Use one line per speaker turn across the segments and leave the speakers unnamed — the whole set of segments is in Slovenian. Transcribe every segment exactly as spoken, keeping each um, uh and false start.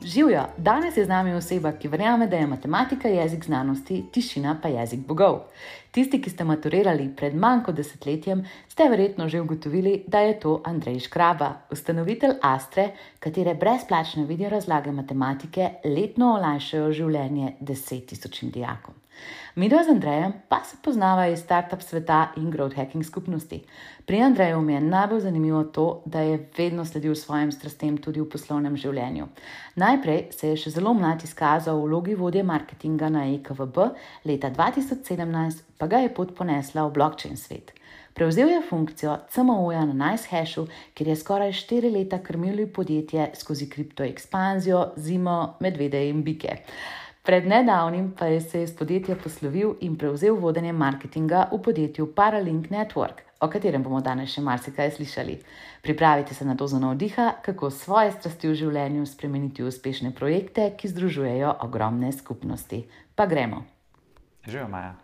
Živjo, danes je z nami oseba, ki verjame, da je matematika jezik znanosti, tišina pa jezik bogov. Tisti, ki ste maturirali pred manj kot desetletjem, ste verjetno že ugotovili, da je to Andrej Škraba, ustanovitelj Astre, katere brezplačne video razlage matematike letno olajšajo življenje deset tisočim dijakom. Midva z Andrejem pa se poznava iz startup sveta in growth hacking skupnosti. Pri Andreju mi je najbolj zanimivo to, da je vedno sledil svojim strastem tudi v poslovnem življenju. Najprej se je še zelo mlad izkazal v vlogi vodje marketinga na E K V B, leta dva tisoč sedemnajst pa ga je pot ponesla v blockchain svet. Prevzel je funkcijo C M O-ja na NiceHashu, kjer je skoraj štiri leta krmil podjetje skozi kriptoekspanzijo, zimo, medvede in bike. Pred nedavnim pa je se iz podjetja poslovil in prevzel vodenje marketinga v podjetju Paralink Network, o katerem bomo danes še marsikaj slišali. Pripravite se na dozo navdiha, kako svoje strasti v življenju spremeniti v uspešne projekte, ki združujejo ogromne skupnosti. Pa gremo.
Živijo, Maja.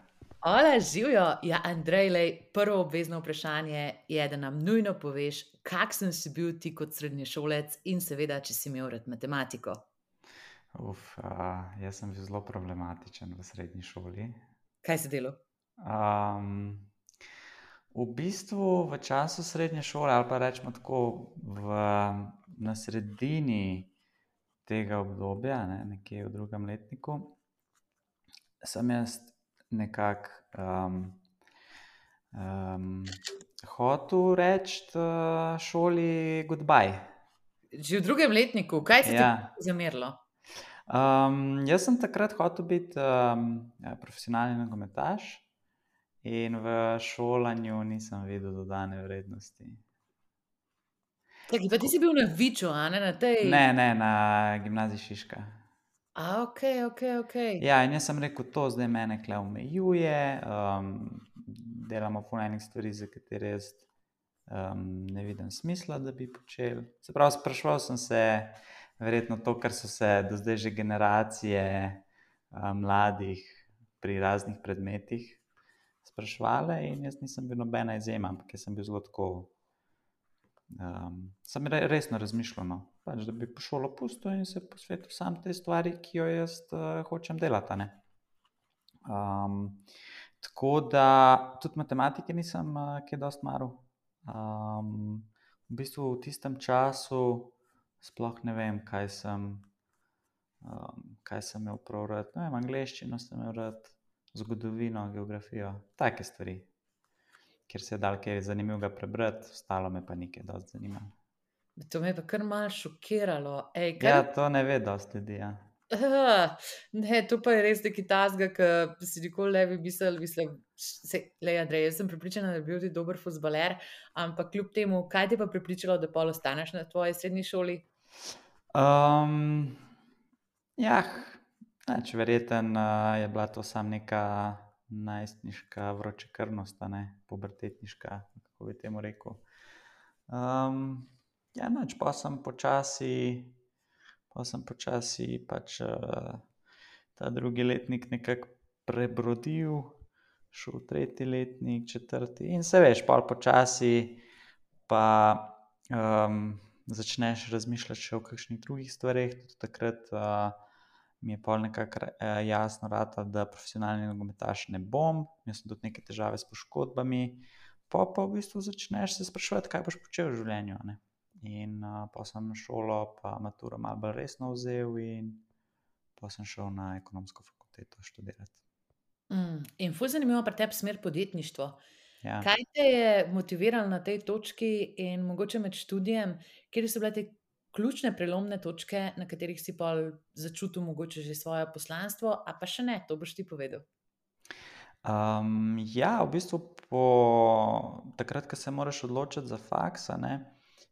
Ola, živjo. Ja, Andrej, lej, prvo obvezno vprašanje je, da nam nujno poveš, kakšen si bil ti kot srednješolec in seveda, če si imel rad matematiko.
Uf, uh, jaz sem bil zelo problematičen v srednji šoli.
Kaj si delal?
Um, v bistvu v času srednje šole, ali pa rečemo tako, v, na sredini tega obdobja, ne, nekje v drugem letniku, sem jaz nekako um, um, hotel reči uh, šoli goodbye.
Že v drugem letniku, kaj se
Ja.
ti zamerilo?
Um, jaz sem takrat hotel biti um, profesionalni nogometaš in v šolanju nisem videl dodane vrednosti.
Čakaj, pa ti si bil na Viču, a ne na tej?
Ne, ne, na gimnaziji Šiška.
A, ok, ok, ok.
Ja, in jaz sem rekel, to zdaj mene kle omejuje, um, delamo ful enih stvari, za katere jaz um, ne vidim smisla, da bi počel. Se pravi, spraševal sem se, verjetno to, kar so se do zdaj že generacije uh, mladih pri raznih predmetih sprašvale, in jaz nisem bil nobena izjema, ampak jaz sem bil zelo tako, um, sem re, resno razmišljal, no, pač, da bi po šolo pustil in se posvetil sam tej stvari, ki jo jaz uh, hočem delati, ne. Um, tako da tudi matematike nisem uh, kaj dosti maral. Um, v bistvu v tistem času sploh ne vem, kaj sem, um, kaj sem imel prav rad. Ne vem, angleščino sem imel rad, zgodovino, geografijo, take stvari, kjer se je dal kaj zanimivega prebrati, ostalo me pa nikaj dosti zanimalo.
To me je pa kar malo šokiralo. Ej, kar...
Ja, to ne ve dosti ljudi, ja.
Uh, ne, to pa je res nekaj tasga, ki si nikoli ne bi mislil, mislim, se, lej, Andrej, jaz sem prepričana, da bi bil ti dober fuzbaler, ampak kljub temu, kaj te pa prepričalo, da pol ostaneš na tvoji srednji šoli?
Um, ja, neč verjeten uh, je bila to sam neka najstniška vročekrvnost, ne, pubertetniška, kako bi temu rekel. Um, ja, neč, pa sem počasi, pa sem počasi pač uh, ta drugi letnik nekako prebrodil, šel tretji letnik, četrti in se veš, pol počasi pa um, začneš razmišljati še o kakšnih drugih stvareh. Tudi takrat uh, mi je pol nekako uh, jasno ratalo, da profesionalni nogometaš ne bom. Imel sem tudi neke težave s poškodbami. Pa pa v bistvu začneš se spraševati, kaj boš počel v življenju, ne. In uh, pa sem šolo pa maturo malo bolj resno vzel in pa sem šel na ekonomsko fakulteto študirati.
Mm, in ful zanimivo pri tebi smer podjetništvo.
Ja.
Kaj te je motiviralo na tej točki in mogoče med študijem, kjer so bile te ključne prelomne točke, na katerih si pol začutil mogoče že svoje poslanstvo, a pa še ne, to boš ti povedal.
Um, ja, v bistvu po takrat, ko se moraš odločiti za faks, a ne,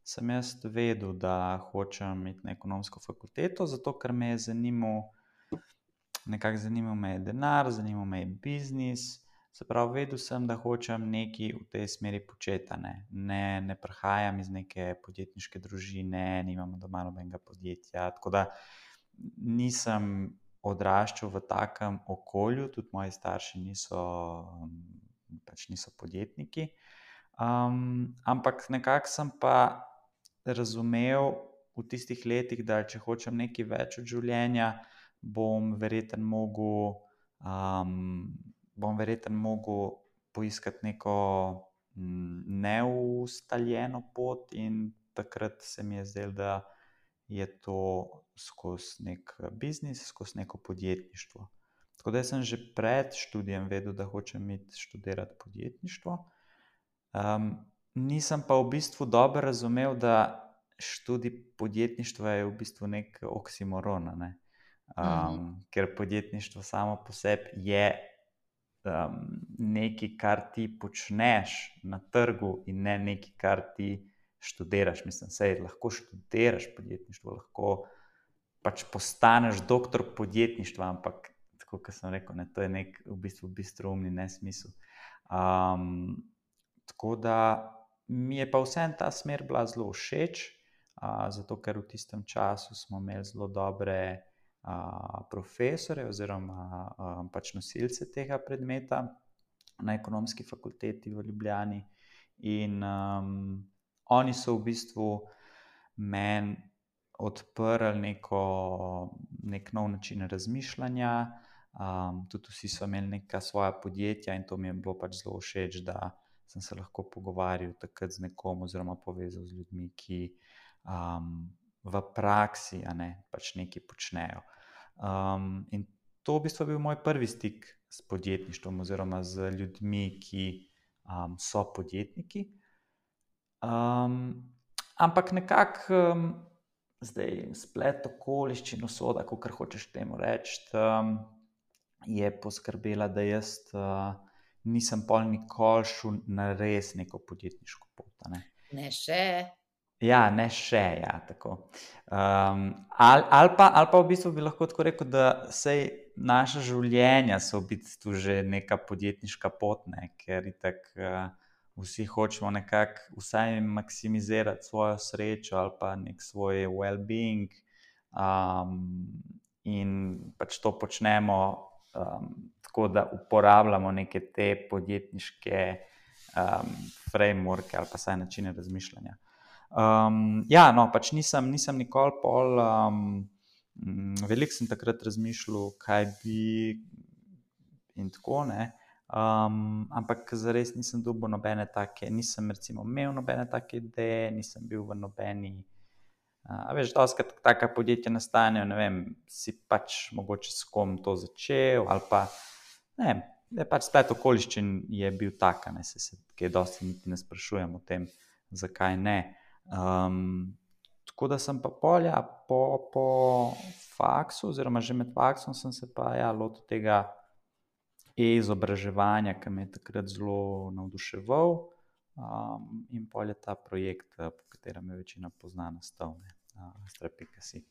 sem jaz vedel, da hočem iti na ekonomsko fakulteto, zato ker me je zanimal, nekako zanimal me je denar, zanimal me je biznis. Se pravi, vedel sem, da hočem nekaj v tej smeri početi, ne. Ne, ne prihajam iz neke podjetniške družine, nimam doma nobenega podjetja, tako da nisem odraščal v takem okolju, tudi moji starši niso, pač niso podjetniki. Um, ampak nekako sem pa razumel, v tistih letih, da če hočem nekaj več od življenja, bom verjetno mogel, um, bom verjetno mogel poiskati neko neustaljeno pot in takrat se mi je zdelo, da je to skozi nek biznis, skozi neko podjetništvo. Tako da sem že pred študijem vedel, da hočem iti študirati podjetništvo. Um, nisem pa v bistvu dobro razumel, da študij podjetništva je v bistvu nek oksimoron, ne? Um,
Mhm.
ker podjetništvo samo po sebi je um, nekaj, kar ti počneš na trgu in ne nekaj, kar ti študiraš. Mislim, sej lahko študiraš podjetništvo, lahko pač postaneš doktor podjetništva, ampak tako, kot sem rekel, ne, to je nek v bistvu bistroumni nesmisel. Um, tako da mi je pa vseeno ta smer bila zelo všeč, uh, zato ker v tistem času smo imeli zelo dobre uh, profesore oziroma uh, pač nosilce tega predmeta na Ekonomski fakulteti v Ljubljani in um, oni so v bistvu meni odprli neko, nek nov način razmišljanja, um, tudi vsi so imeli neka svoja podjetja in to mi je bilo pač zelo všeč, da sem se lahko pogovarjal takrat z nekom oziroma povezal z ljudmi, ki um, v praksi, a ne, pač nekaj počnejo. Um, in to v bistvu je bil moj prvi stik s podjetništvom oziroma z ljudmi, ki um, so podjetniki. Um, ampak nekako um, zdaj splet okoliščin, usoda, kakor hočeš temu reči, um, je poskrbela, da jaz uh, nisem pol nikoli šel na res neko podjetniško pot. Ne,
Ne še.
ja, ne še, ja, tako. Um, ali, ali, pa, ali pa v bistvu bi lahko tako rekel, da sej naša življenja so v bistvu že neka podjetniška pot, ne, ker itak uh, vsi hočemo nekako vsaj maksimizirati svojo srečo ali pa nek svoj well-being, um, in pač to počnemo um, tako, da uporabljamo neke te podjetniške um, frameworke ali pa saj načine razmišljanja. Um, ja, no, pač nisem, nisem nikoli pol, um, veliko sem takrat razmišljal, kaj bi in tako, ne. Um, ampak zares nisem dobil nobene take, nisem recimo imel nobene take ideje, nisem bil v nobeni, a veš, dostikrat taka podjetja nastanejo, ne vem, si pač mogoče s kom to začel ali pa, ne vem, je pač splet okoliščin je bil tak, ne, se, se kaj dosti niti ne sprašujem o tem, zakaj ne. Um, tako da sem pa pol, ja, po, po faksu oziroma že med faksom sem se pa, ja, lotil tega e-izobraževanja, ki me je takrat zelo navduševal, um, in pol je ta projekt, po katerem me večina pozna, nastal, ne, Astra pika si.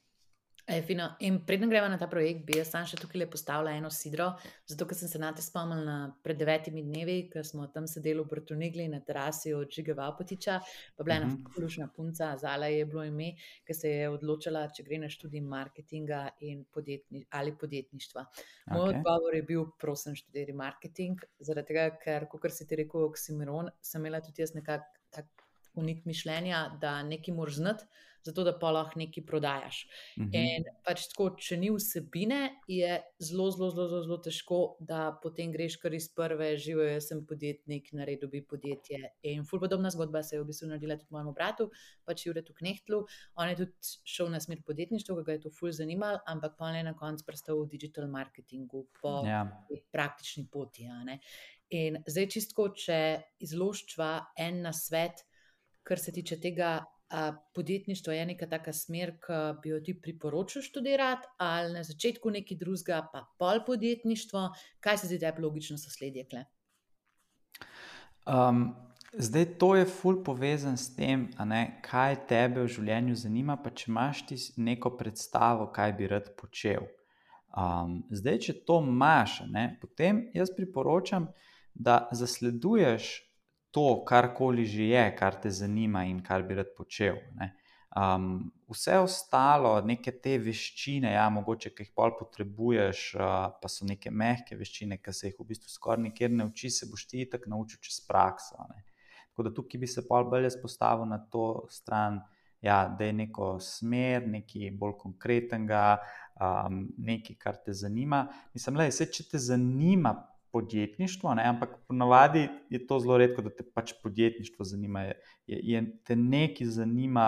E, fino. In preden gremo na ta projekt, bi jaz sam še tukaj postavila eno sidro, zato ker sem se nate spomnila pred devetimi dnevi, ker smo tam sedeli v Brtonegli na terasi od Žige Valpotiča, pa bila ena
Mhm.
fulušna punca, Zala je bilo ime, ki se je odločila, če gre na študij marketinga in podjetni, ali podjetništva. Moj
Okej.
odgovor je bil, prosim, študiraj marketing, zaradi tega, ker, kakor si ti rekel, oksimoron, sem imela tudi jaz nekak tak unik mišljenja, da nekaj moraš znati, zato da pa lahko nekaj prodajaš.
Mhm.
In pač tako, če ni vsebine, je zelo, zelo, zelo, zelo, zelo težko, da potem greš kar iz prve, živijo, jaz sem podjetnik, naredil bi podjetje. In ful podobna zgodba se je v bistvu naredila tudi mojemu bratu, pač Juretu Knehtlu. On je tudi šel na smer podjetništva, ki ga je to ful zanimalo, ampak pa on je na koncu prestal v digital marketingu po
Ja.
praktični poti, a ne. In zdaj čistko, če izložčva en nasvet, kar se tiče tega, a podjetništvo je neka taka smer, ki bi jo ti priporočil študirati, ali na začetku nekaj drugega, pa pol podjetništvo, kaj se zdi tebi logično sosledje tule?
Um, zdaj to je ful povezan s tem, a ne, kaj tebe v življenju zanima, pa če imaš ti neko predstavo, kaj bi rad počel. Um, zdaj, če to imaš, a ne, potem jaz priporočam, da zasleduješ to, karkoli že je, kar te zanima in kar bi rad počel, ne. Um, vse ostalo, neke te veščine, ja, mogoče, ki jih pol potrebuješ, uh, pa so neke mehke veščine, ki se jih v bistvu skoraj nikjer ne uči, se boš ti itak naučil čez prakso, ne. Tako da tukaj bi se pol bolj jaz postavil na to stran, ja, da je neko smer, nekaj bolj konkretnega, um, nekaj, kar te zanima. Mislim, le, vse, če te zanima podjetništvo, ne, ampak ponavadi je to zelo redko, da te pač podjetništvo zanima. Je, je, je te nekaj zanima,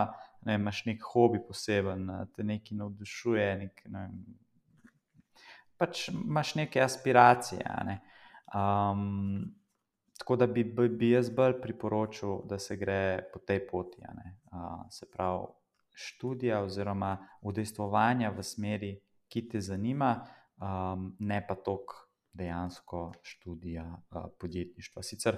ne, imaš nek hobi poseben, te nekaj navdušuje, nek, ne vem, pač imaš neke aspiracije. Ne. Um, tako da bi, bi jaz bolj priporočil, da se gre po tej poti. Ne. Uh, se pravi, študija oziroma udejstvovanja v smeri, ki te zanima, um, ne pa toliko dejansko študija uh, podjetništva. Sicer,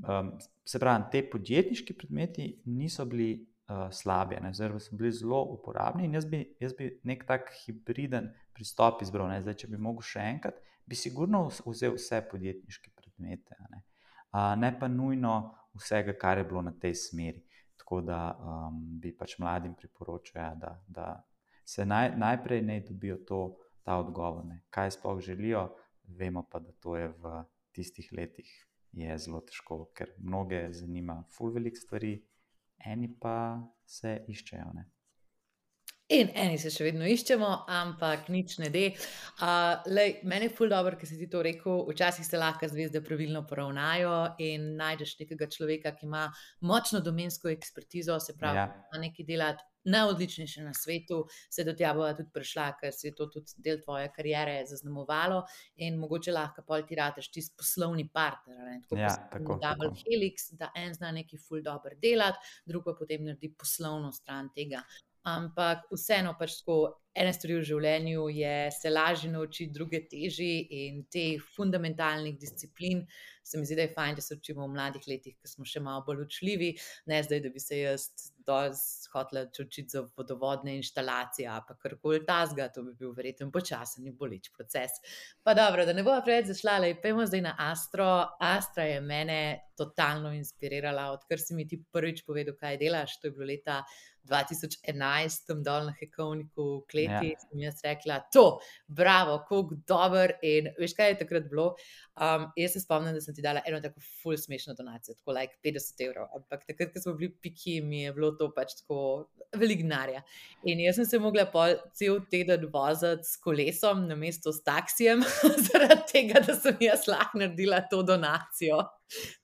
um, se pravi, te podjetniški predmeti niso bili uh, slabi, oziroma so bili zelo uporabni in jaz bi, jaz bi nek tak hibriden pristop izbral. Ne? Zdaj, če bi mogel še enkrat, bi sigurno vzel vse podjetniške predmete, ne? Uh, ne pa nujno vsega, kar je bilo na tej smeri. Tako da um, bi pač mladim priporočal, da, da se naj, najprej ne dobijo to, ta odgovor, ne? Kaj sploh želijo. Vemo pa, da to je v tistih letih je zelo težko, ker mnoge zanima ful veliko stvari, eni pa se iščejo. Ne?
In eni se še vedno iščemo, ampak nič ne de. Uh, lej, meni je ful dobro, ker si ti to rekel, včasih se lahko zvezde pravilno poravnajo in najdeš nekega človeka, ki ima močno domensko ekspertizo, se pravi,
Ja.
ima nekaj delati najodličnejše na svetu, se do tja bova tudi prišla, ker se je to tudi del tvoje kariere zaznamovalo in mogoče lahko pol ti rateš tisti poslovni partner, ne? Tako
Ja,
poslovni
tako,
double
tako.
helix, da en zna nekaj ful dobro delati, drug pa potem naredi poslovno stran tega. Ampak vseeno pač tako, ene stvari v življenju je se lažje naučiti, druge težje in teh fundamentalnih disciplin se mi zdi, da je fajn, da se učimo v mladih letih, ko smo še malo bolj učljivi, ne zdaj, da bi se jaz dosti hotela učiti za vodovodne inštalacije, pa karkoli tasga, to bi bil verjetno počasen in boleč proces. Pa dobro, da ne bova preveč zašla, lej, pojmo zdaj na Astro. Astra je mene totalno inspirirala, odkar si mi ti prvič povedal, kaj delaš, to je bilo leta dva tisoč enajst, tam dol na Hekovniku v kleti,
Ja.
sem jaz rekla, to, bravo, koliko dober in veš, kaj je takrat bilo? Um, jaz se spomnim, da sem ti dala eno tako ful smešno donacijo, tako like petdeset evrov, ampak takrat, ko smo bili piki, mi je bilo to pač tako veliko denarja. In jaz sem se mogla pol cel teden voziti s kolesom namesto s taksijem, zaradi tega, da sem jaz lahko naredila to donacijo.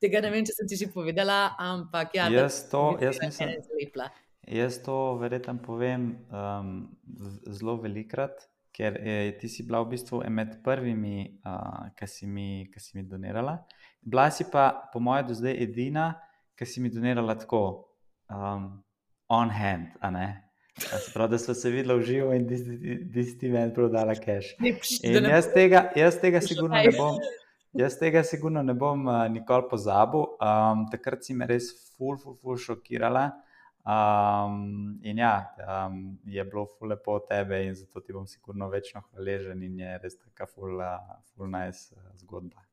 Tega ne vem, če sem ti že povedala, ampak ja, da
Jaz to,
bi
jaz
se
mislim,
ene zlepila.
jaz to verjetno povem um, z- zelo velikrat, ker eh, ti si bila v bistvu med prvimi, uh, ki si mi, ki si mi donirala. Bila si pa, po mojem, do zdaj edina, ki si mi donirala tako um, on hand, a ne? A se pravi, da smo se videla v živo in da si ti meni prodala cash.
Ne, pš, da
In
ne
jaz
bo-
tega, jaz tega
Še
sigurno
kaj.
ne bom, jaz tega sigurno ne bom uh, nikoli pozabil. Um, takrat si me res ful, ful, ful šokirala. Um, in ja, um, je bilo ful lepo od tebe in zato ti bom sigurno večno hvaležen in je res taka ful, uh, ful nice uh, zgodba.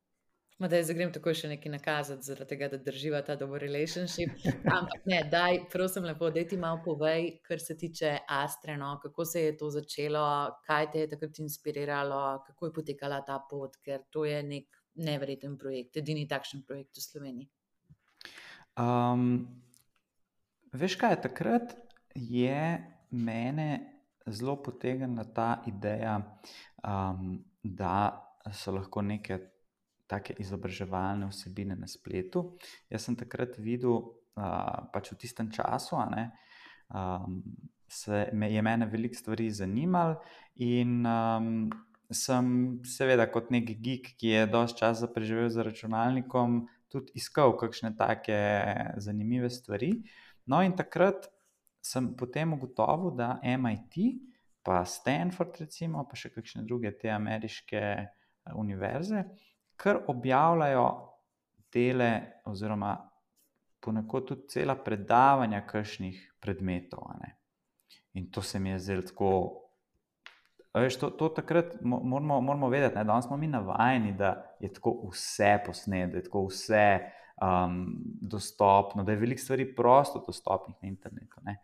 Ma da zdaj grem takoj še nekaj nakazati, zaradi tega, da drživa ta dober relationship. Ampak ne, daj, prosim lepo, daj ti malo povej, kar se tiče Astre, no, kako se je to začelo, kaj te je takrat inspiriralo, kako je potekala ta pot, ker to je nek neverjeten projekt, edini takšen projekt v Sloveniji.
Um, veš kaj, takrat je mene zelo potegnila ta ideja, um, da so lahko neke take izobraževalne vsebine na spletu. Jaz sem takrat videl, uh, pač v tistem času, a ne, um, se me, je mene veliko stvari zanimalo in um, sem seveda kot nek geek, ki je dosti časa preživel za računalnikom, tudi iskal kakšne take zanimive stvari. No, in takrat sem potem ugotovil, da M I T, pa Stanford, recimo, pa še kakšne druge te ameriške univerze, kar objavljajo dele, oziroma ponekod tudi cela predavanja kakšnih predmetov. A ne. In to se mi je zdelo tako. Veš, to, to takrat moramo, moramo vedeti, ne, danes smo mi navajeni, da je tako vse posneto, da je tako vse um, dostopno, da je veliko stvari prosto dostopnih na internetu. Ne.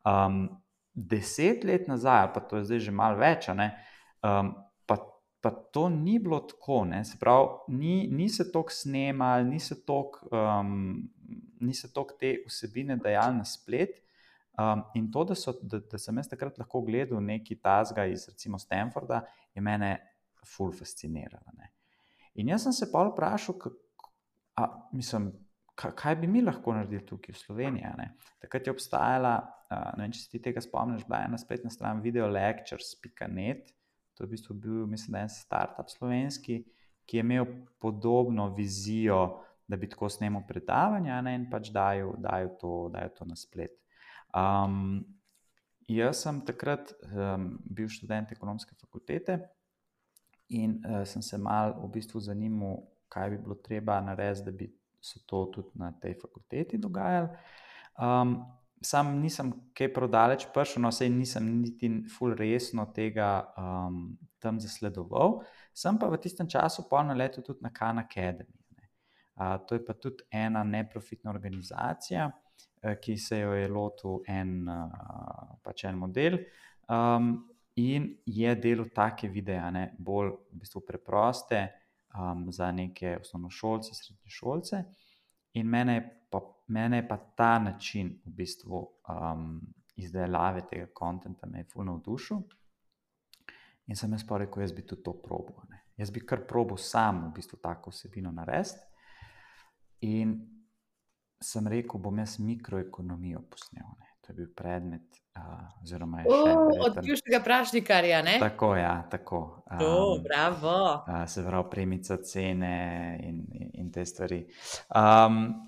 Um, deset let nazaj, pa to je zdaj že malo več, ne, um, pa, pa to ni bilo tako. Ne, se pravi, ni, ni se toliko snemali, ni se toliko um, ni se toliko te vsebine dajali na splet. Um, in to, da, so, da, da sem jaz takrat lahko gledal neki tazga iz recimo Stanforda, je mene ful fasciniralo. Ne. In jaz sem se pol vprašal, kako, a, mislim, kaj bi mi lahko naredili tukaj v Sloveniji. Ne. Takrat je obstajala, uh, ne vem, če se ti tega spomniš, bila ena spletna stran videolectures pika net, to je v bistvu bil, mislim, da je en startup slovenski, ki je imel podobno vizijo, da bi tako snemal predavanja, ne, in pač dajo, dajo, to, dajo to na splet. Um, jaz sem takrat um, bil študent ekonomske fakultete in uh, sem se mal v bistvu zanimal, kaj bi bilo treba narediti, da bi se to tudi na tej fakulteti dogajalo. Um, sam nisem kaj prodaleč prišel, no sej nisem niti ful resno tega um, tam zasledoval, sem pa v tistem času pol naletel tudi na Khan Academy. Ne. Uh, to je pa tudi ena neprofitna organizacija, uh, ki se jo je lotil en, uh, pač en model um, in je delal take videe, ne, bolj v bistvu preproste, Um, za neke osnovnošolce, srednješolce. In mene je pa, mene je pa ta način v bistvu um, izdelave tega kontenta me je ful navdušil. In sem jaz pa rekel, jaz bi tudi to probal. Ne. Jaz bi kar probal sam v bistvu tako vsebino narediti. In sem rekel, bom jaz mikroekonomijo posnel. Ne. To je bil predmet, uh, oziroma je še
O, od
verjetno-
bivšega Prašnikarja, ne?
Tako, ja, tako.
To,
Um,
bravo.
uh, se pravi, premica cene in, in, in te stvari. Um,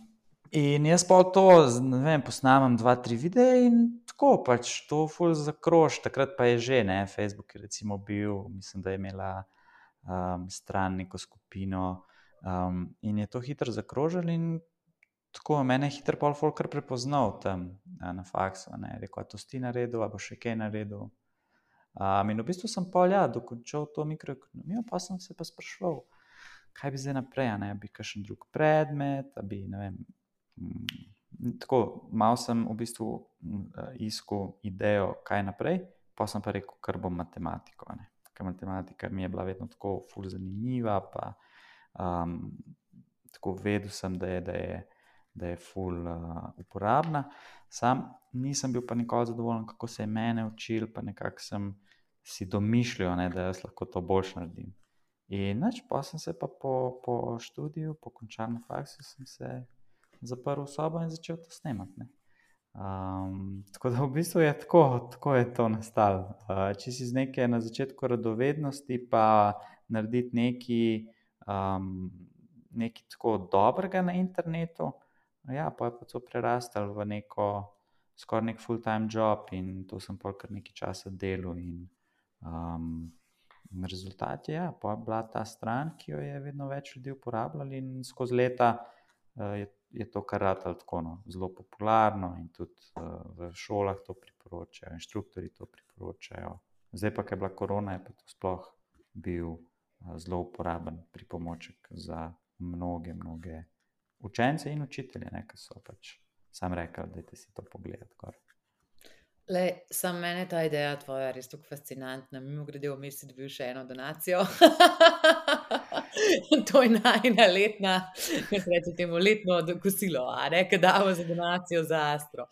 in jaz pa to, z- ne vem, posnamem dva, tri videe in tako pač to ful zakrož. Takrat pa je že, ne, Facebook je recimo bil, mislim, da je imela um, stran neko skupino um, in je to hitro zakrožil in tako mene je hitro pol folk kar prepoznal tam a, na faksu, ne, rekel, a to si ti naredil, a bo še kaj naredil. Um, in v bistvu sem pol, ja, dokončal to mikroekonomijo, pa sem se pa spraševal, kaj bi zdaj naprej, a ne, a bi kakšen drug predmet, a bi, ne vem, mm, tako, malo sem v bistvu mm, iskal idejo, kaj naprej, pa sem pa rekel, kar bom matematiko, a ne, ker matematika mi je bila vedno tako ful zanimiva, pa um, tako vedel sem, da je, da je, da je ful uh, uporabna. Sam nisem bil pa nikoli zadovoljen, kako se je mene učil, pa nekako sem si domišljal, ne, da jaz lahko to boljš naredim. In nič, pa sem se pa po, po študiju, po končanem faksu, sem se zaprl v sobo in začel to snemati. Ne. Um, tako da v bistvu je tako, tako je to nastalo. Uh, če si z neke na začetku radovednosti, pa narediti nekaj, um, nekaj tako dobrega na internetu, ja, pa je pa to prerastel v neko, skoraj nek full-time job in to sem pol kar nekaj časa delal in um, rezultat je, ja, pa je bila ta stran, ki jo je vedno več ljudi uporabljali in skozi leta uh, je, je to kar ratalo tako, no, zelo popularno in tudi uh, v šolah to priporočajo, inštruktorji to priporočajo. Zdaj pa, ker je bila korona, je pa to sploh bil uh, zelo uporaben pripomoček za mnoge, mnoge učence in učitelje, ne, ki so pač sam rekli, dajte si to pogledati gor.
Le, sam mene ta ideja tvoja res tako fascinantna. Mimogrede, vmes si dobil še eno donacijo. To je najina letna, kako se reče temu, letno kosilo, a ne, ki damo za donacijo za Astro.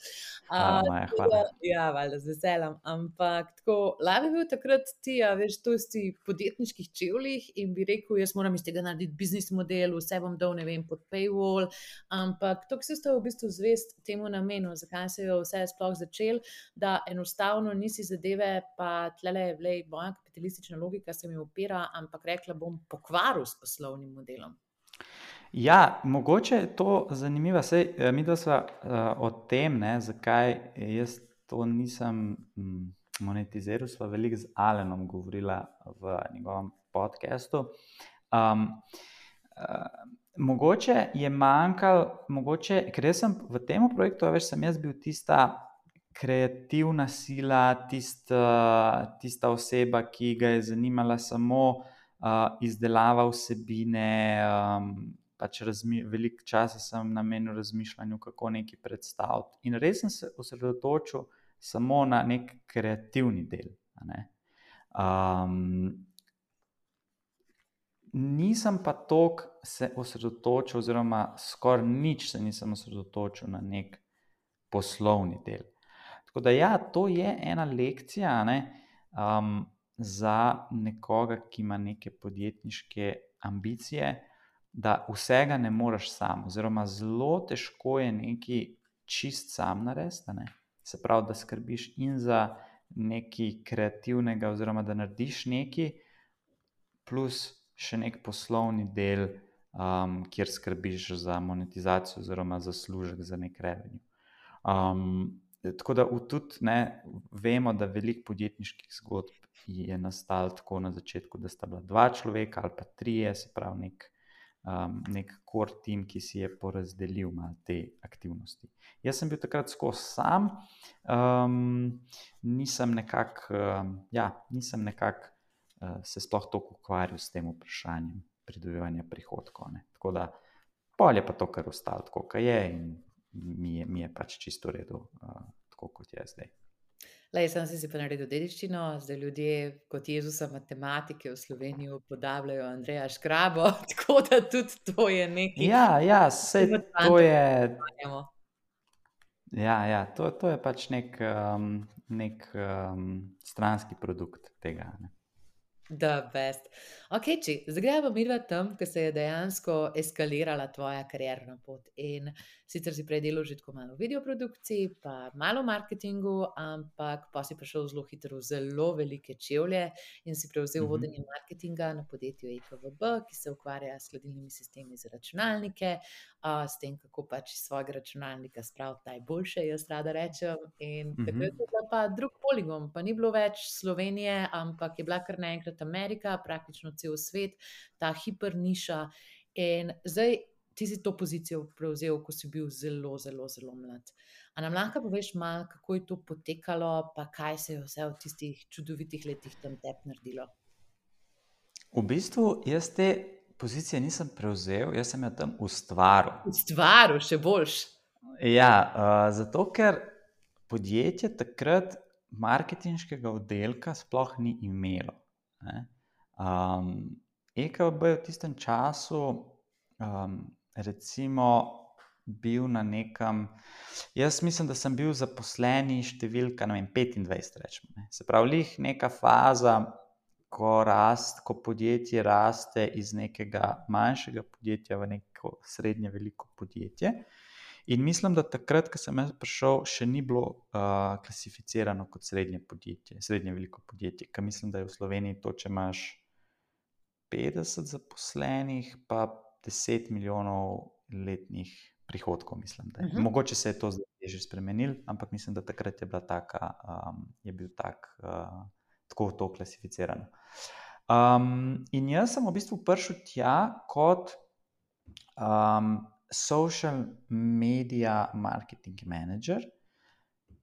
Hvala,
A,
Maja,
tako
hvala.
da, ja, valjda, z veseljem, ampak tako, lahko bi bil takrat ti, a veš, to si podjetniških čevljih in bi rekel, jaz moram iz tega narediti biznis model, vse bom dal, ne vem, pod paywall, ampak to, ki si ostal v bistvu zvest temu namenu, zakaj se je vse sploh začel, da enostavno nisi zadeve, pa tlele, vlej, moja kapitalistična logika se mi opira, ampak rekla bom pokvaril s poslovnim modelom.
Ja, mogoče je to zanimivo, saj eh, midva sva uh, o tem, ne, zakaj jaz to nisem mm, monetiziral, sva veliko z Alenom govorila v njegovem podcastu. Um, uh, mogoče je manjkal, mogoče, ker jaz sem v tem projektu, a veš, sem jaz bil tista kreativna sila, tista, tista oseba, ki ga je zanimala samo uh, izdelava vsebine, um, pač razmi, veliko časa sem namenil razmišljanju, kako nekaj predstaviti. In res sem se osredotočil samo na nek kreativni del. A ne? Um, nisem pa toliko se osredotočil, oziroma skoraj nič se nisem osredotočil na nek poslovni del. Tako da ja, to je ena lekcija, ne, um, za nekoga, ki ima neke podjetniške ambicije, da vsega ne moreš sam, oziroma zelo težko je nekaj čist sam narediti, ne. Se pravi, da skrbiš in za nekaj kreativnega, oziroma da narediš nekaj, plus še nek poslovni del, um, kjer skrbiš za monetizacijo oziroma zaslužek za nek revenue. Um, tako da v tudi ne, vemo, da veliko podjetniških zgodb je nastalo tako na začetku, da sta bila dva človeka ali pa trije, se pravi nek, um, nek core team, ki si je porazdelil malo te aktivnosti. Jaz sem bil takrat skozi sam, um, nisem nekako, um, ja, nisem nekako uh, se sploh toliko ukvarjal s tem vprašanjem pridobivanja prihodkov, ne. Tako da pol je pa to kar ostalo tako, kot je, in mi je, mi je pač čisto v redu, uh, tako kot je zdaj.
Lej, sam si si pa naredil dediščino, zdaj ljudje kot Jezusa matematike v Sloveniji upodabljajo Andreja Škrabo, tako da tudi to je nekaj,
Ja, ja, saj
kar
to
fantov
je,
sanjamo.
ja, ja, to, to je pač nek, um, nek um, stranski produkt tega, ne.
The best. Ok, či, zdaj gremo midva tam, ko se je dejansko eskalirala tvoja karierna pot. In sicer si prej delal že tako malo v videoprodukciji, pa malo v marketingu, ampak pa si prišel zelo hitro v zelo velike čevlje in si prevzel
Mhm.
vodenje marketinga na podjetju E K V B, ki se ukvarja s hladilnimi sistemi za računalnike, a, s tem, kako pač iz svojega računalnika spraviti najboljše, jaz rada rečem. In takrat
Mhm.
je bila pa drug poligon, pa ni bilo več Slovenije, ampak je bila kar naenkrat Amerika, praktično cel svet, ta hiperniša. In zdaj ti si to pozicijo prevzel, ko si bil zelo, zelo, zelo mlad. A nam lahko poveš malo, kako je to potekalo, pa kaj se je vse v tistih čudovitih letih tam tebi naredilo?
V bistvu jaz te pozicije nisem prevzel, jaz sem jo tam ustvaril.
Ustvaril, še boljš.
Ja, uh, zato ker podjetje takrat marketinškega oddelka sploh ni imelo, ne. Um, E K V B je v tistem času um, recimo bil na nekem, jaz mislim, da sem bil zaposleni številka, ne vem, petindvajset rečemo, ne. Se pravi, lih neka faza, ko rast, ko podjetje raste iz nekega manjšega podjetja v neko srednje veliko podjetje. In mislim, da takrat, ko sem jaz prišel, še ni bilo uh, klasificirano kot srednje podjetje, srednje veliko podjetje, ker mislim, da je v Sloveniji to, če imaš petdeset zaposlenih, pa deset milijonov letnih prihodkov, mislim, da je.
Mhm.
Mogoče se je to zdaj že spremenilo, ampak mislim, da takrat je bila taka, um, je bil tak, uh, tako to klasificirano. Um, in jaz sem v bistvu prišel tja kot um, social media marketing manager,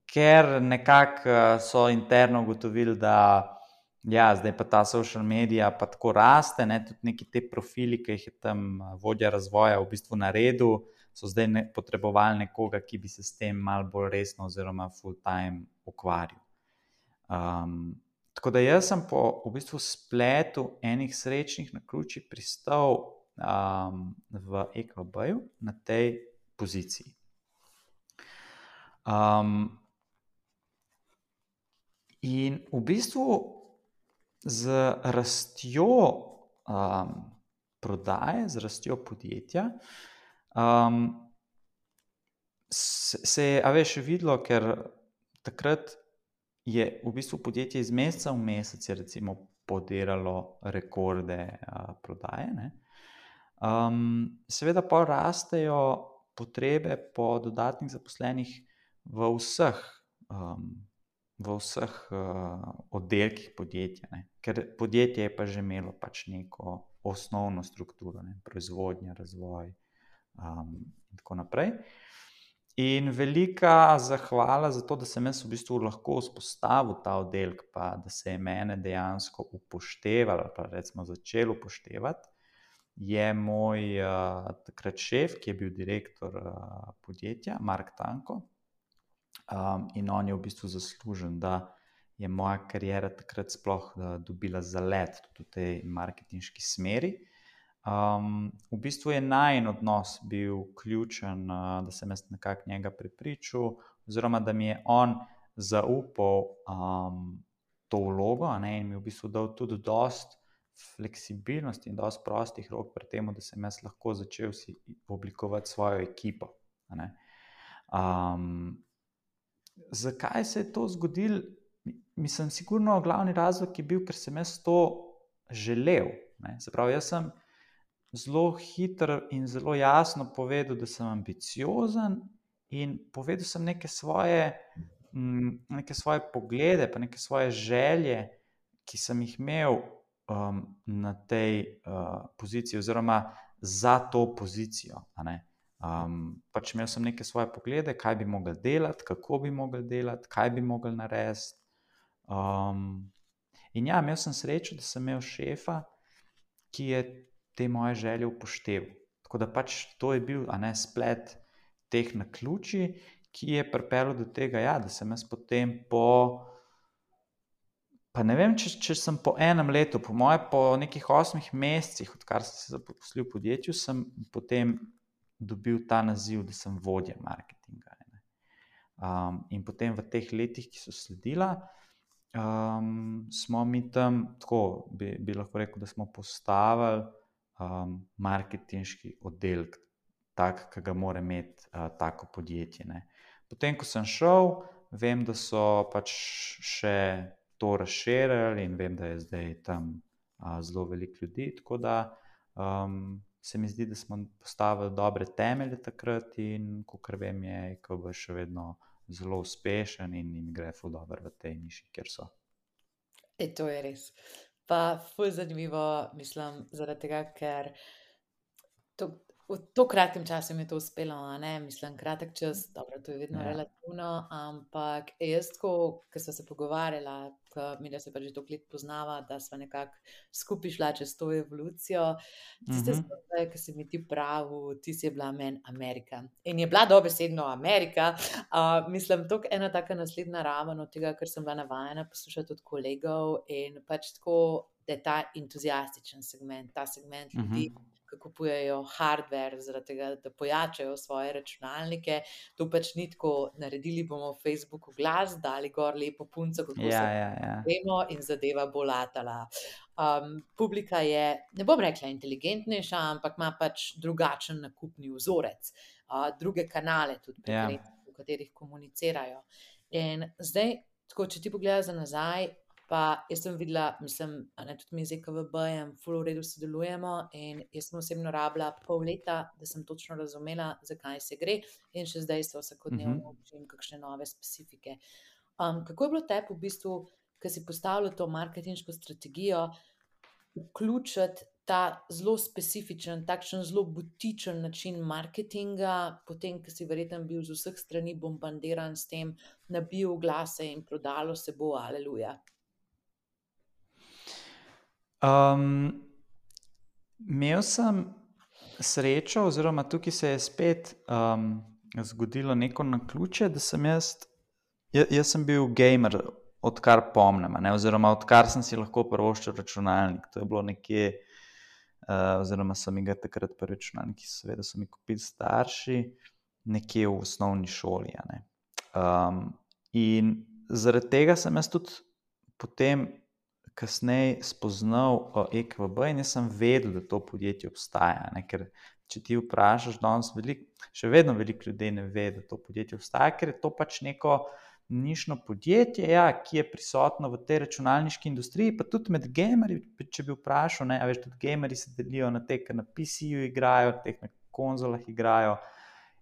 ker nekako uh, so interno ugotovili, da ja, zdaj pa ta social media pa tako raste, ne, tudi neki te profili, ki jih je tam uh, vodja razvoja v bistvu naredil, so zdaj ne, potrebovali nekoga, ki bi se s tem malo bolj resno oziroma full time ukvarjal. Um, tako da jaz sem po v bistvu spletu enih srečnih naključij pristal um, v E K V B-ju na tej poziciji. Um, in v bistvu z rastjo um, prodaje, z rastjo podjetja, um, se, se je, a veš, videlo, ker takrat je v bistvu podjetje iz meseca v mesec je recimo podiralo rekorde uh, prodaje, ne. Um, seveda pa rastejo potrebe po dodatnih zaposlenih v vseh, um, v vseh uh, oddelkih podjetja, ne. Ker podjetje je pa že imelo pač neko osnovno strukturo, ne, proizvodnja, razvoj um, in tako naprej. In velika zahvala za to, da sem jaz v bistvu lahko vzpostavil ta oddelek, pa da se je mene dejansko upoštevalo, pa recimo začel upoštevati, je moj uh, takrat šef, ki je bil direktor uh, podjetja, Mark Tanko. Um, in on je v bistvu zaslužen, da je moja kariera takrat sploh uh, dobila zalet tudi v tej marketinški smeri. Um, v bistvu je najin odnos bil ključen, uh, da sem jaz nekako njega prepričal, oziroma da mi je on zaupal um, to vlogo, a ne, in mi v bistvu dal tudi dost fleksibilnosti in dost prostih rok pri tem, da sem jaz lahko začel si oblikovati svojo ekipo. A ne. Um, zakaj se je to zgodilo? Mislim, sigurno glavni razlog je bil, ker sem jaz to želel. Ne. Se pravi, jaz sem zelo hitro in zelo jasno povedal, da sem ambiciozen in povedal sem neke svoje, neke svoje poglede, pa neke svoje želje, ki sem jih imel um, na tej uh, poziciji oziroma za to pozicijo. A ne. Um, pač imel sem neke svoje poglede, kaj bi mogel delati, kako bi mogel delati, kaj bi mogel narediti. Um, in ja, imel sem srečo, da sem imel šefa, ki je te moje želje upošteval. Tako da pač to je bil, a ne, splet teh naključij, ki je pripeljal do tega, ja, da sem jaz potem po, pa ne vem, če, če sem po enem letu, po moje po nekih osmih mesecih, odkar sem se zaposlil v podjetju, sem potem dobil ta naziv, da sem vodja marketinga. Um, in potem v teh letih, ki so sledila, um, smo mi tam, tako bi, bi lahko rekel, da smo postavili um, marketinški oddelek, tak, ki ga mora imeti uh, tako podjetje. Ne. Potem, ko sem šel, vem, da so pač še to razširili in vem, da je zdaj tam uh, zelo veliko ljudi, tako da um, se mi zdi, da smo postavili dobre temelje takrat in kakor vem, je I K B še vedno zelo uspešen in, in gre ful dobro v tej niši, kjer so.
E, to je res. Pa ful zanimivo, mislim, zaradi tega, ker to, v to kratkem času mi je to uspelo, a ne, mislim, kratek čas, dobro, to je vedno
Ja.
relativno, ampak jaz tako, ko sva se pogovarjala, ko midva se pa že toliko let poznava, da sva nekako skupaj šla čez to evolucijo, tiste
Mhm.
zgodbe, ko si mi ti pravil, ti si bila meni Amerika. In je bila dobesedno Amerika, uh, mislim, toliko ena taka naslednja raven od tega, kar sem bila navajena poslušati od kolegov in pač tako, da je ta entuziastičen segment, ta segment ljudi,
Mhm.
ki kupujejo hardware zaradi tega, da pojačajo svoje računalnike. To pač ni tako, naredili bomo v Facebooku glas, dali gor lepo punco, kako
Ja,
se
ja, ja.
vemo in zadeva bo latala. Um, publika je, ne bom rekla inteligentnejša, ampak ima pač drugačen nakupni vzorec, uh, druge kanale tudi
Ja.
preferenčne, v katerih komunicirajo. In zdaj, tako, če ti pogledaš za nazaj, pa jaz sem videla, mislim, a ne, tudi mi z E K V B-jem ful v redu sodelujemo in jaz sem osebno rabila pol leta, da sem točno razumela, zakaj se gre in še zdaj se vsakodnevno
Mhm.
učim kakšne nove specifike. Um, kako je bilo tebi v bistvu, ko si postavljal to marketinško strategijo, vključiti ta zelo specifičen, takšen zelo butičen način marketinga, potem, ko si verjetno bil z vseh strani bombardiran s tem, nabil oglase in prodalo se bo, aleluja.
Um, imel sem srečo, oziroma tukaj se je spet um, zgodilo neko naključje, da sem jaz, ja, jaz sem bil gamer, odkar pomnim, a ne, oziroma odkar sem si lahko privoščil računalnik. To je bilo nekje, uh, oziroma so mi ga takrat prvi računalniki, seveda so mi kupili starši, nekje v osnovni šoli. A ne. Um, in zaradi tega sem jaz tudi potem kasneje spoznal uh, E K V B in jaz sem vedel, da to podjetje obstaja. Ne? Ker če ti vprašaš, danes veliko, še vedno veliko ljudi ne ve, da to podjetje obstaja, ker je to pač neko nišno podjetje, ja, ki je prisotno v tej računalniški industriji, pa tudi med gamerji, če bi vprašal, ne, a veš, tudi gamerji se delijo na te, ki na P C-ju igrajo, te, ki na konzolah igrajo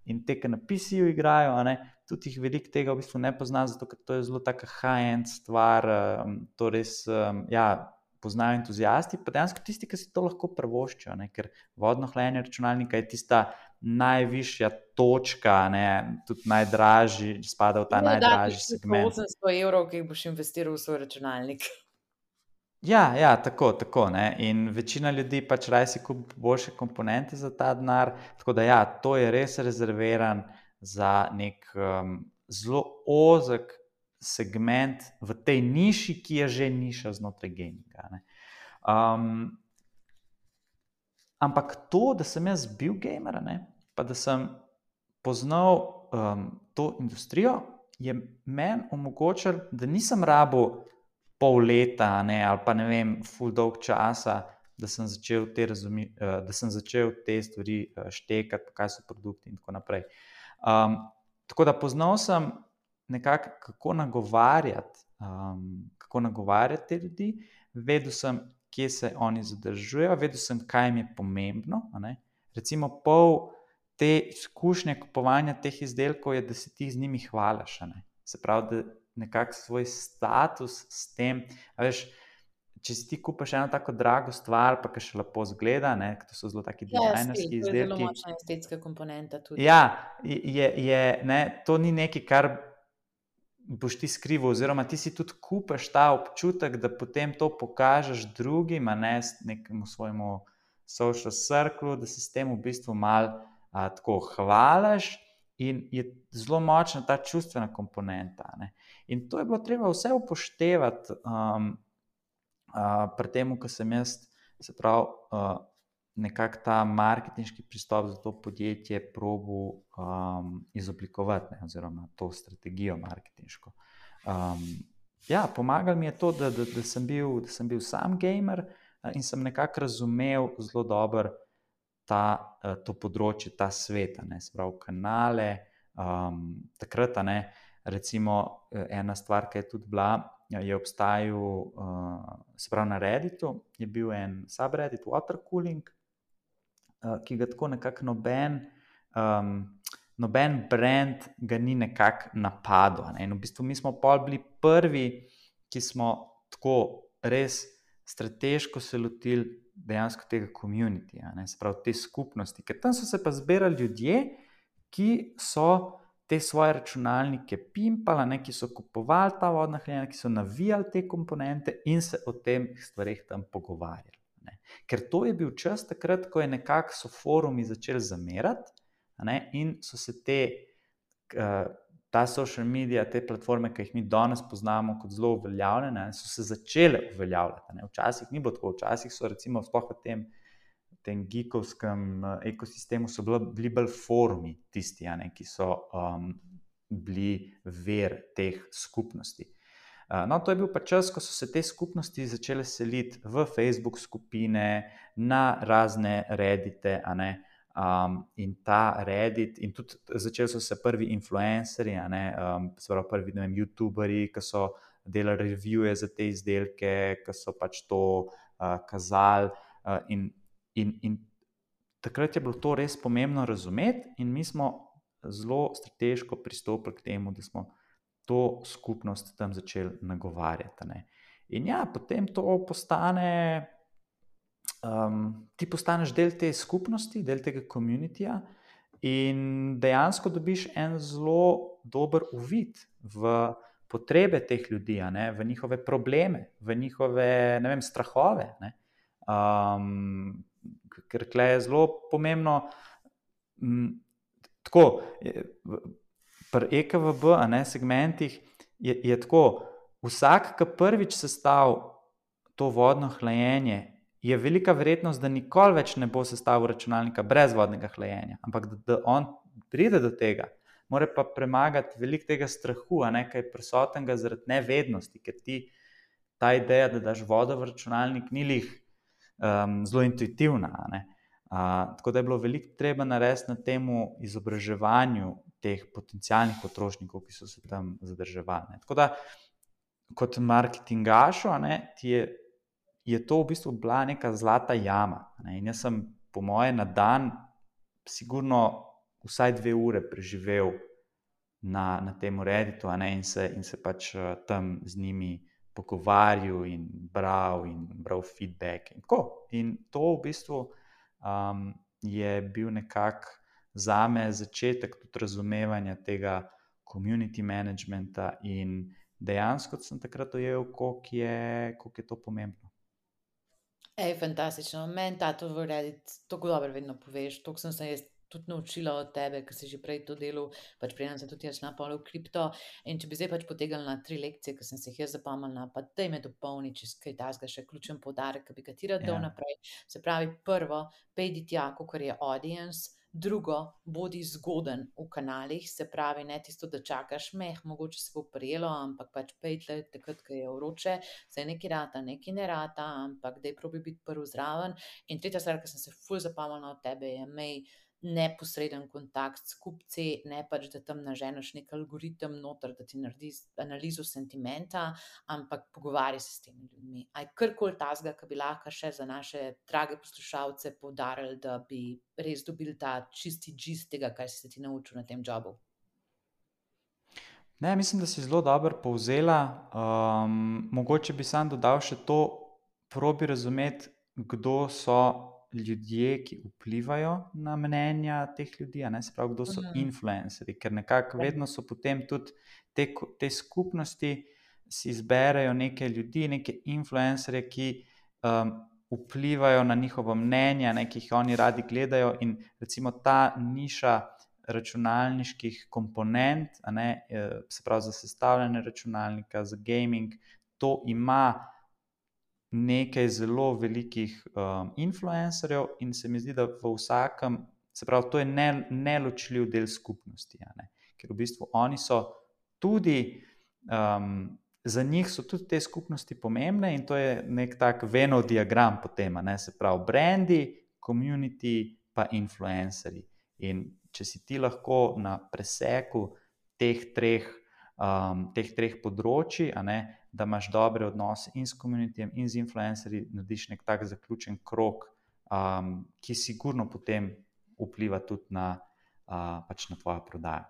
in te, ki na P C-ju igrajo, a ne, tudi jih veliko tega v bistvu ne pozna, zato ker to je zelo taka high-end stvar, um, to res, um, ja, poznajo entuziasti, pa dejansko tisti, ki si to lahko privoščijo, ne, ker vodno hlajenje računalnika je tista najvišja točka, ne, tudi najdražji, spada v ta najdražji segment.
osemsto evrov, ki jih boš investiral v svoj računalnik.
Ja, ja, tako, tako, ne. In večina ljudi pač raje si kupi boljše komponente za ta denar, tako da ja, to je res rezerviran za nek um, zelo ozek segment v tej niši, ki je že niša znotraj gaminga. Ne. Um, ampak to, da sem jaz bil gamer, ne, pa da sem poznal um, to industrijo, je meni omogočil, da nisem rabil pol leta, ne, ali pa ne vem, ful dolg časa, da sem začel te, razumi, uh, da sem začel te stvari uh, štekati, kaj so produkti in tako naprej. Um, tako da poznal sem nekako, kako nagovarjati, um, kako nagovarjati te ljudi, vedel sem, kje se oni zadržujejo, vedel sem, kaj jim je pomembno. A ne? Recimo pol te izkušnje kupovanja teh izdelkov je, da se ti z njimi hvališ. Se pravi, da nekako svoj status s tem, a veš, če si ti kupaš eno tako drago stvar, pa ki še lepo zgleda, ne, to so zelo taki
Ja,
dizajnerski
stil, to je zelo
izdelki.
močna estetska komponenta tudi.
Ja, je, je, ne, to ni nekaj, kar boš ti skrival, oziroma ti si tudi kupaš ta občutek, da potem to pokažeš drugim, a ne nekemu svojemu social circlu, da se s tem v bistvu malo a, tako hvališ, in je zelo močna ta čustvena komponenta. Ne. In to je bilo treba vse upoštevati um, uh, pri tem, ko sem jaz, se pravi, uh, nekako ta marketinški pristop za to podjetje probal um, izoblikovati, ne, oziroma to strategijo marketinško. Um, ja, pomagalo mi je to, da, da, da, sem bil, da sem bil sam gamer uh, in sem nekako razumel zelo dobro ta, uh, to področje, ta svet, ne, se pravi kanale, um, takrat, ne, recimo ena stvar, ki je tudi bila, je obstajal, uh, se pravi na Redditu, je bil en subreddit Watercooling, ki ga tako nekako noben, um, noben brand ga ni nekako napadel. Ne? In v bistvu mi smo pol bili prvi, ki smo tako res strateško se lotili dejansko tega community, ne? Se pravi te skupnosti, ker tam so se pa zbirali ljudje, ki so te svoje računalnike pimpali, ne? Ki so kupovali ta vodna hranila, ki so navijali te komponente in se o tem stvareh tam pogovarjali. Ne. Ker to je bil čas takrat, ko je nekako so forumi začeli zamerati, ne, in so se te, uh, ta social media, te platforme, ki jih mi danes poznamo kot zelo uveljavljene, so se začele uveljavljati. Ne. Včasih ni bilo tako, včasih so recimo sploh v tem, tem geekovskem ekosistemu so bili bolj forumi tisti, ne, ki so um, bili ver teh skupnosti. No, to je bil pa čas, ko so se te skupnosti začele seliti v Facebook skupine, na razne Reddite, a ne, um, in ta Reddit, in tudi začeli so se prvi influencerji, a ne, um, se pravi prvi, ne vem, youtuberji, ki so delali revije za te izdelke, ki so pač to uh, kazali, uh, in, in, in takrat je bilo to res pomembno razumeti, in mi smo zelo strateško pristopili k temu, da smo to skupnost tam začeli nagovarjati. Ne. In ja, potem to postane, um, ti postaneš del te skupnosti, del tega communityja in dejansko dobiš en zelo dober uvid v potrebe teh ljudi, a ne, v njihove probleme, v njihove, ne vem, strahove. Ne. Um, ker tle je zelo pomembno, m, tako, je, pri E K V B, a ne, segmentih je, je tako, vsak, ki prvič sestavil to vodno hlajenje, je velika verjetnost, da nikoli več ne bo sestavil računalnika brez vodnega hlajenja, ampak da, da on pride do tega, mora pa premagati veliko tega strahu, a ne, kaj je prisotnega zaradi nevednosti, ker ti ta ideja, da daš vodo v računalnik, ni lih um, zelo intuitivna, a ne. Uh, tako da je bilo veliko treba narediti na temu izobraževanju teh potencialnih potrošnikov, ki so se tam zadrževali. Ne. Tako da, kot marketingašu, a ne, ti je, je to v bistvu bila neka zlata jama. Ne. In jaz sem, po moje, na dan sigurno vsaj dve ure preživel na, na tem Redditu, a ne, in se, in se pač uh, tam z njimi pogovarjal in bral in bral feedback. In, in to v bistvu um, je bil nekako za me začetek tudi razumevanja tega community managementa in dejansko sem takrat dojel, koliko je, koliko je to pomembno.
Ej, fantastično. Meni ta to v Reddit tako dobro vedno poveš, toliko sem se jaz tudi naučila od tebe, ker si že prej to delal, pač preden sem tudi jaz napol v kripto, in če bi zdaj pač potegnila na tri lekcije, ki sem se jih jaz zapomnila, pa daj me dopolni, če kaj takega še ključen poudarek, ki bi ga ti rad dal naprej. Se pravi, prvo, pejdi tja, kakor je audience, Drugo, bodi zgoden v kanalih, se pravi, ne tisto, da čakaš, meh, mogoče se bo prijelo, ampak pač pejtle, takrat, ko je vroče, se nekaj rata, nekaj ne rata, ampak daj probi biti prvi zraven. In tretja stvar, ki sem se ful zapomnila od tebe, je imej neposreden kontakt s kupci, ne pač, da tam naženeš nek algoritem noter, da ti naredi analizo sentimenta, ampak pogovarjaj se s temi ljudmi. A je karkoli tazga, ki bi lahko še za naše drage poslušalce poudarili, da bi res dobili ta čisti gist tega, kar si se ti naučil na tem jobu?
Ne, mislim, da si zelo dobro povzela. Um, mogoče bi sam dodal še to, probi razumeti, kdo so ljudje, ki vplivajo na mnenja teh ljudi, a ne, se pravi, kdo so
Mhm.
influencerji, ker nekako vedno so potem tudi te, ko- te skupnosti si izberejo neke ljudi, neke influencerje, ki um, vplivajo na njihovo mnenje, ne, ki jih oni radi gledajo, in recimo ta niša računalniških komponent, a ne, eh, se pravi za sestavljanje računalnika, za gaming, to ima nekaj zelo velikih um, influencerjev in se mi zdi, da v vsakem, se pravi, to je ne, neločljiv del skupnosti, a ne, ker v bistvu oni so tudi, um, za njih so tudi te skupnosti pomembne in to je nek tak Venn diagram potem, a ne, se pravi, brendi, community pa influencerji. In če si ti lahko na preseku teh treh, um, teh treh področji, a ne, da imaš dobre odnose in s komunitijem in z influencerji, narediš nek tak zaključen krog, um, ki sigurno potem vpliva tudi na, uh, pač na tvojo prodajo.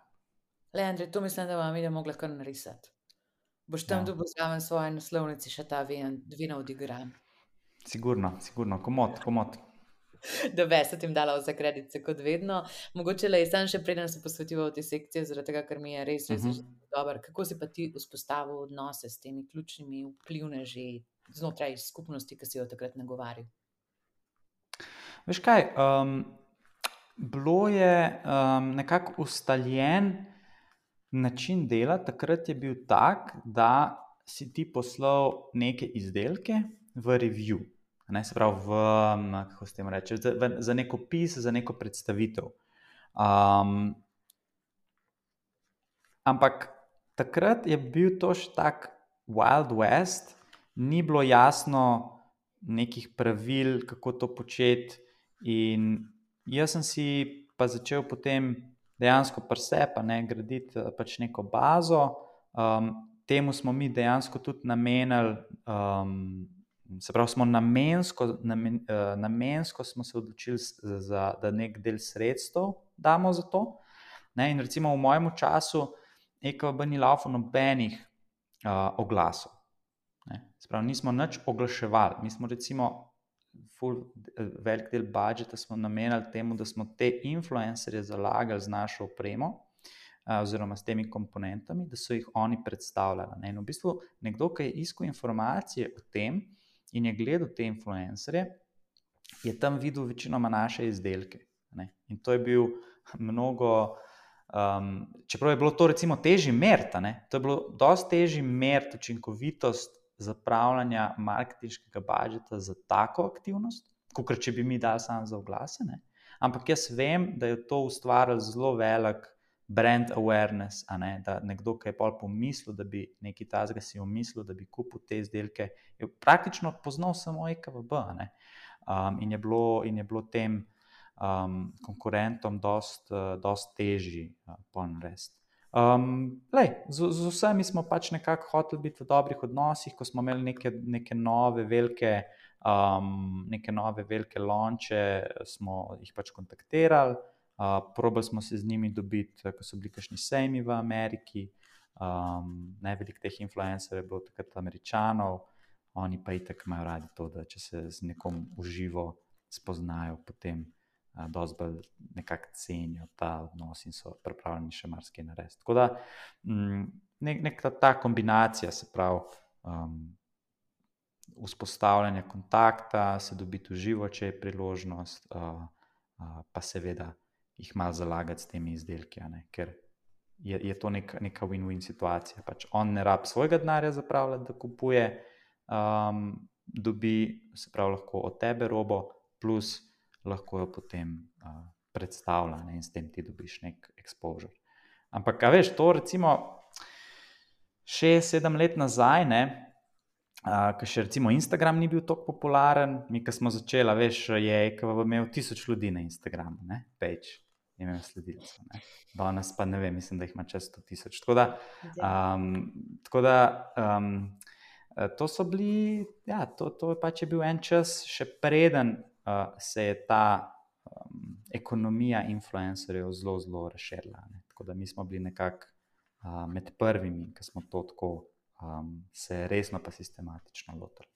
Le, Andrej, to mislim, da vam je mogla kar narisati. Boš tam
Ja.
dobil zraven svoje naslovnici še ta Venov diagram.
Sigurno, sigurno, komot, komot.
Da bi se tim dala vse kredice kot vedno. Mogoče le sam še preden se posvetiva v te sekcije, zaradi tega, ker mi je res, res, res
Mhm.
dobro. Kako si pa ti vzpostavil odnose s temi ključnimi vplivneži znotraj skupnosti, ki si jo takrat nagovarjal?
Veš kaj, um, bilo je um, nekako ustaljen način dela, takrat je bil tak, da si ti poslal neke izdelke v review, a ne, se pravi v, um, kako se temu reče, za, v, za nek opis, za neko predstavitev. Um, ampak takrat je bil to še tak Wild West, ni bilo jasno nekih pravil, kako to početi, in jaz sem si pa začel potem dejansko pri sebi, a ne, graditi eh, pač neko bazo. Um, temu smo mi dejansko tudi namenili, um, se pravi, smo namensko, namen, uh, namensko smo se odločili s- za, da nek del sredstev damo za to. Ne, in recimo v mojem času E K B ni laufal nobenih uh, oglasov. Ne. Se pravi, nismo nič oglaševali. Mi smo recimo ful, velik del budžeta smo namenili temu, da smo te influencerje zalagali z našo opremo, uh, oziroma s temi komponentami, da so jih oni predstavljali. Ne. In v bistvu nekdo, ki je iskal informacije o tem in je gledal te influencerje, je tam videl večinoma naše izdelke. Ne. In to je bil mnogo, um, čeprav je bilo to recimo težje meriti, ne, to je bilo dosti težje meriti učinkovitost zapravljanja marketinškega budžeta za tako aktivnost, kot če bi mi dali samo za oglase. Ne. Ampak jaz vem, da je to ustvarilo zelo velik brand awareness, a ne, da nekdo, ki je pol pomislil, da bi nekaj takega si umislil, da bi kupil te izdelke, je praktično poznal samo E K V B, a ne. Um, in je bilo, in je bilo tem um, konkurentom dost, uh, dost težji uh, ponaresti. Um, lej, z, z vsemi smo pač nekako hoteli biti v dobrih odnosih, ko smo imeli neke, neke nove velike, um, neke nove velike launche, smo jih pač kontaktirali, uh, probali smo se z njimi dobiti, ko so bili kakšni sejmi v Ameriki, um, ne, veliko teh influencerjev je bilo takrat Američanov, oni pa itak imajo radi to, da če se z nekom uživo spoznajo, potem uh, dosti bolj nekako cenijo ta odnos in so pripravljeni še marsikaj narediti. Tako da mm, nek, nek ta, ta kombinacija, se pravi, um, vzpostavljanja kontakta, se dobiti v živo, če je priložnost, uh, uh, pa seveda jih malo zalagati s temi izdelki, a ne, ker je, je to nek, neka win-win situacija. Pač on ne rab svojega denarja zapravljati, da kupuje, um, dobi, se pravi, lahko od tebe robo, plus lahko jo potem uh, predstavlja, ne, in s tem ti dobiš nek exposure. Ampak, a veš, to recimo šest, sedem let nazaj, ne, Uh, ker še recimo Instagram ni bil tako popularen, mi, ko smo začeli, veš, je E K V B imel tisoč ljudi na Instagramu, ne, page, imel sledilcev, ne, danes pa ne vem, mislim, da jih ima čez sto tisoč, tako da, um, tako da um, to so bili, ja, to, to pač je bil en čas, še preden uh, se je ta um, ekonomija influencerjev zelo, zelo razširila, ne, tako da mi smo bili nekako uh, med prvimi, ki smo to tako Um, se resno pa sistematično lotili.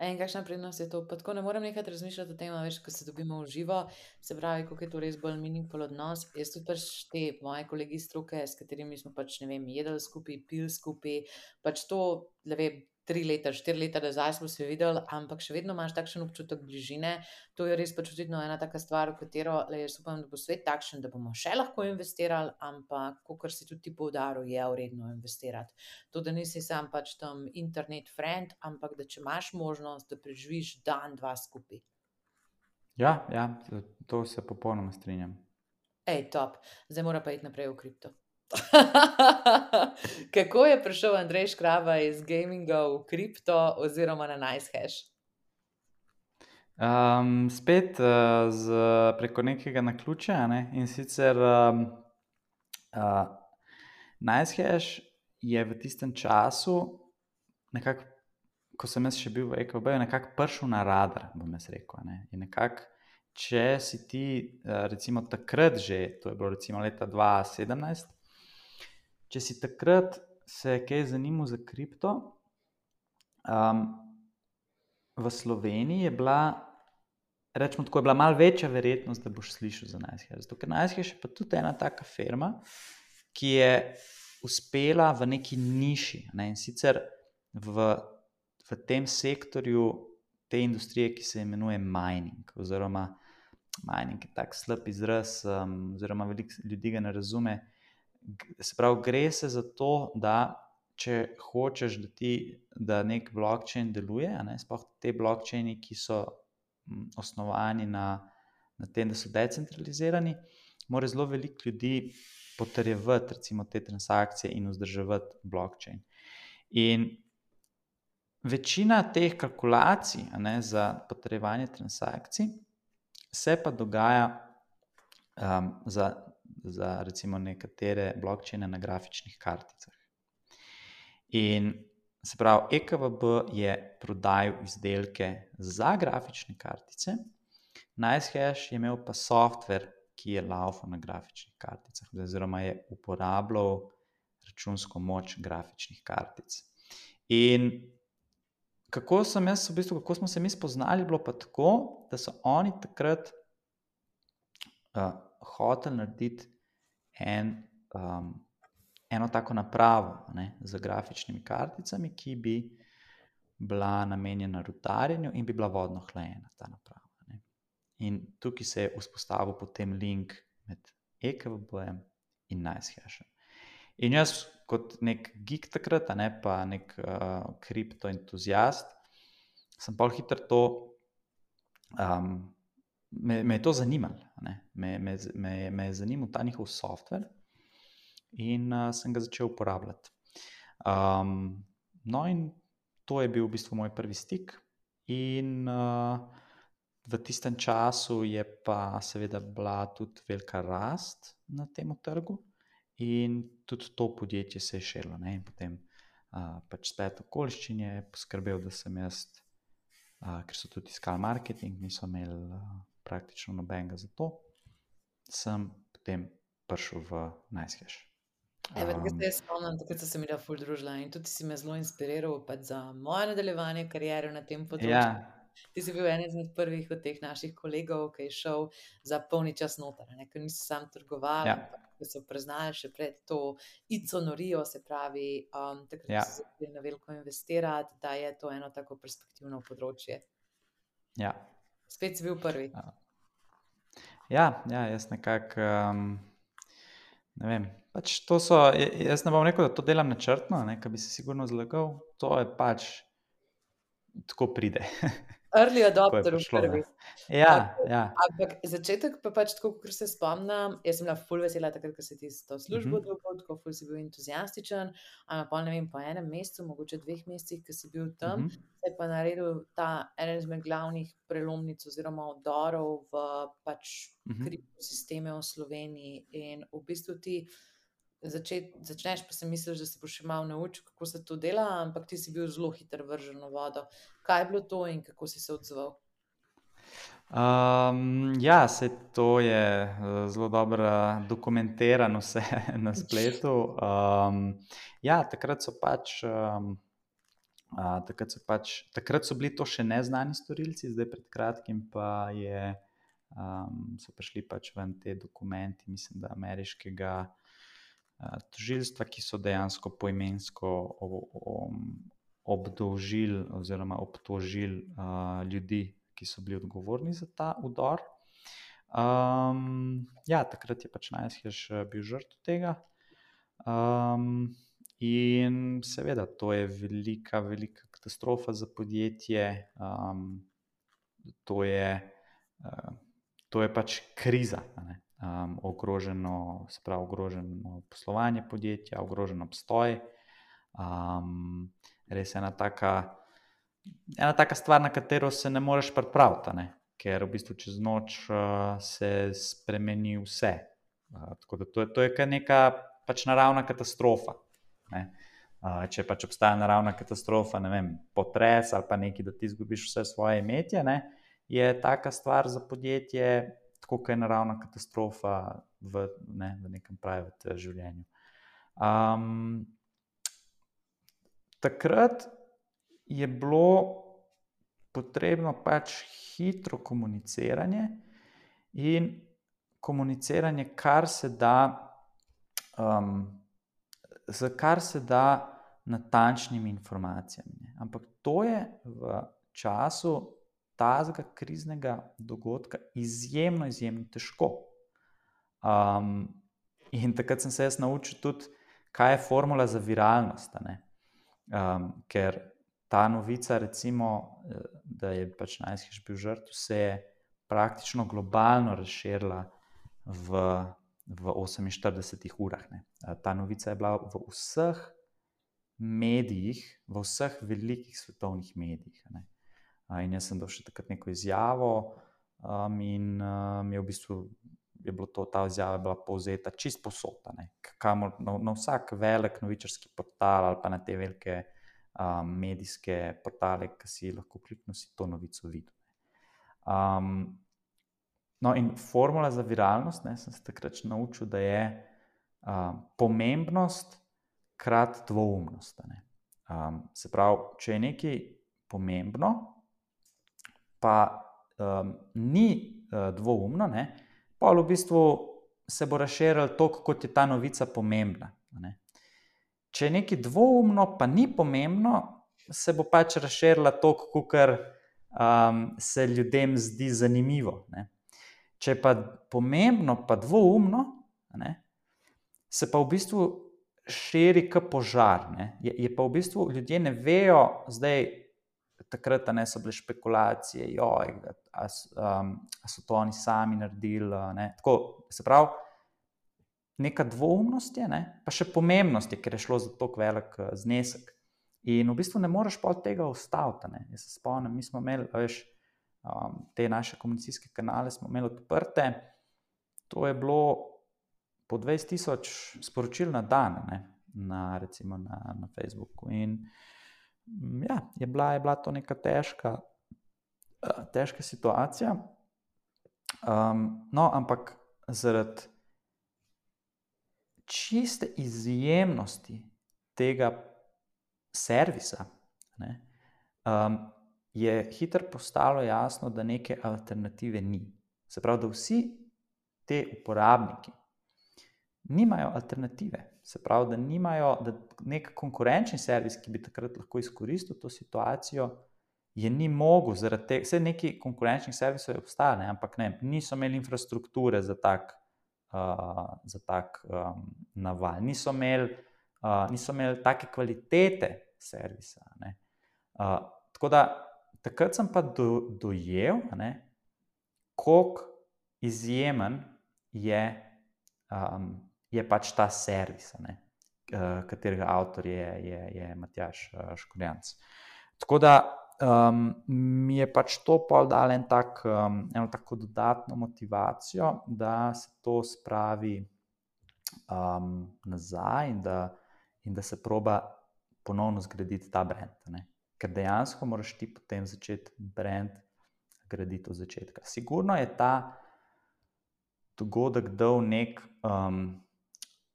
In kakšna prednost je to? Pa tako ne morem nekaj razmišljati o tem, veš, ko se dobimo v živo, se pravi, kako je to res bolj meaningful odnos. Jaz tudi pač te moje kolegi stroke, s katerimi smo pač, ne vem, jedli skupaj, pil skupaj, pač to, ne vem, tri leta, štiri leta nazaj smo se videli, ampak še vedno imaš takšen občutek bližine. To je res pač očitno ena taka stvar, v katero, le, jaz upam, da bo svet takšen, da bomo še lahko investirali, ampak, kakor si tudi ti poudaril, je vredno investirati. To, da nisi sam pač tam internet friend, ampak da če imaš možnost, da preživiš dan, dva skupaj.
Ja, ja, to se popolnoma strinjam.
Ej, top. Zdaj mora pa iti naprej v kripto. Kako je prišel Andrej Škraba iz gaminga v kripto oziroma na NiceHash?
Um, spet uh, z, preko nekega naključja, ne? In sicer um, uh, NiceHash je v tistem času nekako, ko sem jaz še bil v E K V B, je nekako prišel na radar, bom jaz rekel, ne? In nekako, če si ti uh, recimo takrat že, to je bilo recimo leta dva sedemnajst, če si takrat se kaj zanimal za kripto, um, v Sloveniji je bila, rečemo tako, je bila malo večja verjetnost, da boš slišal za NiceHash. Zato, ker NiceHash je pa tudi ena taka firma, ki je uspela v neki niši, ne? In sicer v, v tem sektorju te industrije, ki se imenuje mining, oziroma mining je tak slab izraz, um, oziroma veliko ljudi ga ne razume. Se pravi, gre se za to, da če hočeš, da ti, da nek blockchain deluje, ne, sploh te blockchaini, ki so m, osnovani na, na tem, da so decentralizirani, mora zelo veliko ljudi potrjevati recimo te transakcije in vzdrževati blockchain. In večina teh kalkulacij, ne, za potrjevanje transakcij se pa dogaja um, za za recimo nekatere blockchaine na grafičnih karticah. In se pravi, E K V B je prodajal izdelke za grafične kartice, NiceHash je imel pa software, ki je laufal na grafičnih karticah, oziroma je uporabljal računsko moč grafičnih kartic. In kako sem jaz, v bistvu, kako smo se mi spoznali, bilo pa tako, da so oni takrat uh, hotel narediti en, um, eno tako napravo, ne, z grafičnimi karticami, ki bi bila namenjena rudarjenju in bi bila vodno hlajena ta naprava. Ne. In tukaj se je vzpostavil potem link med E K V B-jem in NiceHashom. In jaz kot nek geek takrat, ne, pa nek uh, kriptoentuzijast, sem pol hitro to um, Me, me je to zanimalo, ne? Me, me, me, me je zanimal ta njihov software in uh, sem ga začel uporabljati. Um, no in to je bil v bistvu moj prvi stik in uh, v tistem času je pa seveda bila tudi velika rast na tem trgu in tudi to podjetje se je širilo, ne? In potem uh, pač splet okoliščin je poskrbel, da sem jaz, uh, ker so tudi iskali marketing, niso imeli uh, praktično nobenega za to, sem potem prišel v NiceHash.
Evo, um, se jaz spomnim, takrat so se mi da ful družila in tudi si me zelo inspiriral pač za moje nadaljevanje karijere na tem področju.
Ja.
Ti si bil eden izmed prvih od teh naših kolegov, ki je šel za polni čas noter, ne, ker niso sam trgovali,
Ja.
ampak so priznali še pred to ico norijo, se pravi, um, takrat
Ja.
so začeli na veliko investirati, da je to eno tako perspektivno področje.
Ja.
Spet si bil prvi.
Ja, ja, jaz nekako, um, ne vem, pač to so, jaz ne bom rekel, da to delam načrtno, ne, ker bi se sigurno zlagal, to je pač, tako pride.
Early
Tako je
adopter v
prišlo,
prvi.
ne. Ja,
Okej,
ja.
ampak začetek pa pač tako, kakor se spomnim, jaz sem bila ful vesela takrat, ko si ti to službo
Mhm.
dobil, tako ful si bil entuziastičen, ampak pol ne vem, po enem mesecu, mogoče dveh mesecih, ko si bil tam,
Mhm.
se je pa naredil ta eden izmed glavnih prelomnic oziroma vdorov v pač
Mhm.
kriptosisteme v Sloveniji in v bistvu ti začet, začneš, pa si misliš, da se boš še malo naučil, kako se to dela, ampak ti si bil zelo hiter vržen v vodo. Kaj je bilo to in kako si se odzval?
Um, ja, se to je uh, zelo dobro dokumentirano vse na spletu. Um, ja, takrat so pač, um, uh, takrat so pač, takrat so bili to še neznani storilci, zdaj pred kratkim pa je, um, so prišli pač ven te dokumenti, mislim, da ameriškega uh, tožilstva, ki so dejansko poimensko o, o, obdolžili oziroma obtožili uh, ljudi, ki so bili odgovorni za ta udor. Um, ja, takrat je pač Najshež bil žrtev tega. Um, in seveda, to je velika, velika katastrofa za podjetje. Um, to, je, uh, to je pač kriza. Um, ogroženo, se pravi, ogroženo poslovanje podjetja, ogrožen obstoj. Um, res je ena taka. Ena taka stvar, na katero se ne moreš pripraviti, ne? Ker v bistvu čez noč uh, se spremeni vse. Uh, tako da to je, to je kar neka pač naravna katastrofa. Ne? Uh, če pač obstaja naravna katastrofa, ne vem, potres ali pa nekaj, da ti izgubiš vse svoje imetje, ne? Je taka stvar za podjetje, tako kot je naravna katastrofa v, ne, v nekem private življenju. Um, takrat je bilo potrebno pač hitro komuniciranje in komuniciranje, kar se da, um, z kar se da natančnimi informacijami. Ne. Ampak to je v času tazga kriznega dogodka izjemno, izjemno težko. Um, in takrat sem se jaz naučil tudi, kaj je formula za viralnost, ne. Um, ker ta novica, recimo, da je pač Najshež bil žrtev, se je praktično globalno razširila v, v oseminštiridesetih urah. Ne. Ta novica je bila v vseh medijih, v vseh velikih svetovnih medijih. Ne. In jaz sem dal še takrat neko izjavo um, in um, je v bistvu je bilo to, ta izjava je bila povzeta čist posod, kamor na, na vsak velik novičarski portal ali pa na te velike Um, medijske portale, ki si lahko kliknil, si to novico videl. Um, no, in formula za viralnost, ne, sem se takrat naučil, da je um, pomembnost krat dvoumnost. Ne. Um, se pravi, če je nekaj pomembno, pa um, ni uh, dvoumno, ne, pa v bistvu se bo razširilo toliko, kot je ta novica pomembna. Ne. Če je nekaj dvoumno, pa ni pomembno, se bo pač razširila toliko, kar um, se ljudem zdi zanimivo. Ne. Če je pa pomembno, pa dvoumno, ne, se pa v bistvu širi kot požar. Ne. Je, je pa v bistvu ljudje ne vejo, zdaj takrat ne so bile špekulacije, joj, a, um, a so to oni sami naredili. Ne. Tako, se pravi, neka dvoumnost je, ne? Pa še pomembnost je, ker je šlo za tako velik znesek. In v bistvu ne moreš pa od tega ustaviti. Ne? Jaz se spomnim, mi smo imeli, veš, um, te naše komunikacijske kanale smo imeli odprte, to je bilo po dvajset tisoč sporočil na dan, ne? Na, recimo na, na Facebooku. In ja, je bila, je bila to neka težka, uh, težka situacija. Um, no, ampak zaradi čiste izjemnosti tega servisa, ne, um, je hitro postalo jasno, da neke alternative ni. Se pravi, da vsi te uporabniki nimajo alternative. Se pravi, da nimajo, da nek konkurenčni servis, ki bi takrat lahko izkoristil to situacijo, je ni mogel, zaradi tega, vse neki konkurenčnih servisov je obstajalo, ampak ne, niso imeli infrastrukture za tak Uh, za tak um, naval. Niso imeli, uh, niso imeli take kvalitete servisa. Ne. Uh, tako da takrat sem pa do, dojel, koliko izjemen je, um, je pač ta servis, ne, katerega avtor je, je, je Matjaž Škorjanc. Tako da um, mi je pač to pol dalo en tak, um, eno tako dodatno motivacijo, da se to spravi um, nazaj in da, in da se proba ponovno zgraditi ta brand. Ne. Ker dejansko moraš ti potem začeti brand graditi od začetka. Sigurno je ta dogodek dal nek, um,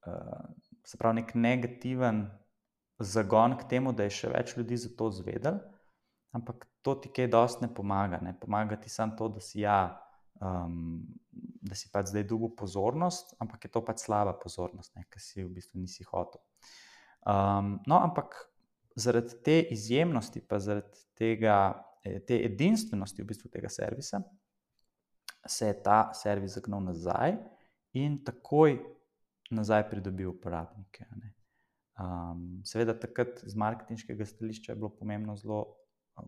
uh, se pravi, nek negativen zagon k temu, da je še več ljudi za to zvedel, ampak to ti kaj dosti ne pomaga. Ne. Pomaga ti samo to, da si ja, um, da si pač zdaj dobil pozornost, ampak je to pač slaba pozornost, ne, ker si v bistvu nisi hotel. Um, no, ampak zaradi te izjemnosti, pa zaradi tega, te edinstvenosti v bistvu tega servisa, se je ta servis zagnal nazaj in takoj nazaj pridobil uporabnike. Ne. Um, seveda takrat z marketinškega stališča je bilo pomembno zelo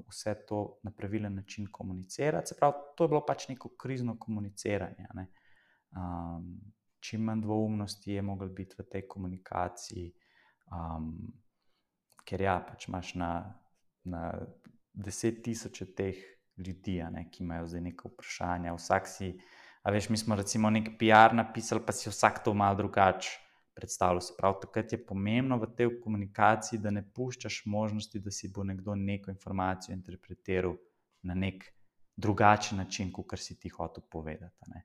vse to na pravilen način komunicirati. Se pravi, to je bilo pač neko krizno komuniciranje. Ne. Um, čim manj dvoumnosti je moglo biti v tej komunikaciji, um, ker ja, pač imaš na, na deset tisoče teh ljudi, ne, ki imajo zdaj neka vprašanja. Vsak si, a veš, mi smo recimo nek P R napisali, pa si vsak to malo drugače predstavljal. Se pravi, takrat je pomembno v tej komunikaciji, da ne puščaš možnosti, da si bo nekdo neko informacijo interpretiral na nek drugačen način, kot si ti hotel povedati. Ne.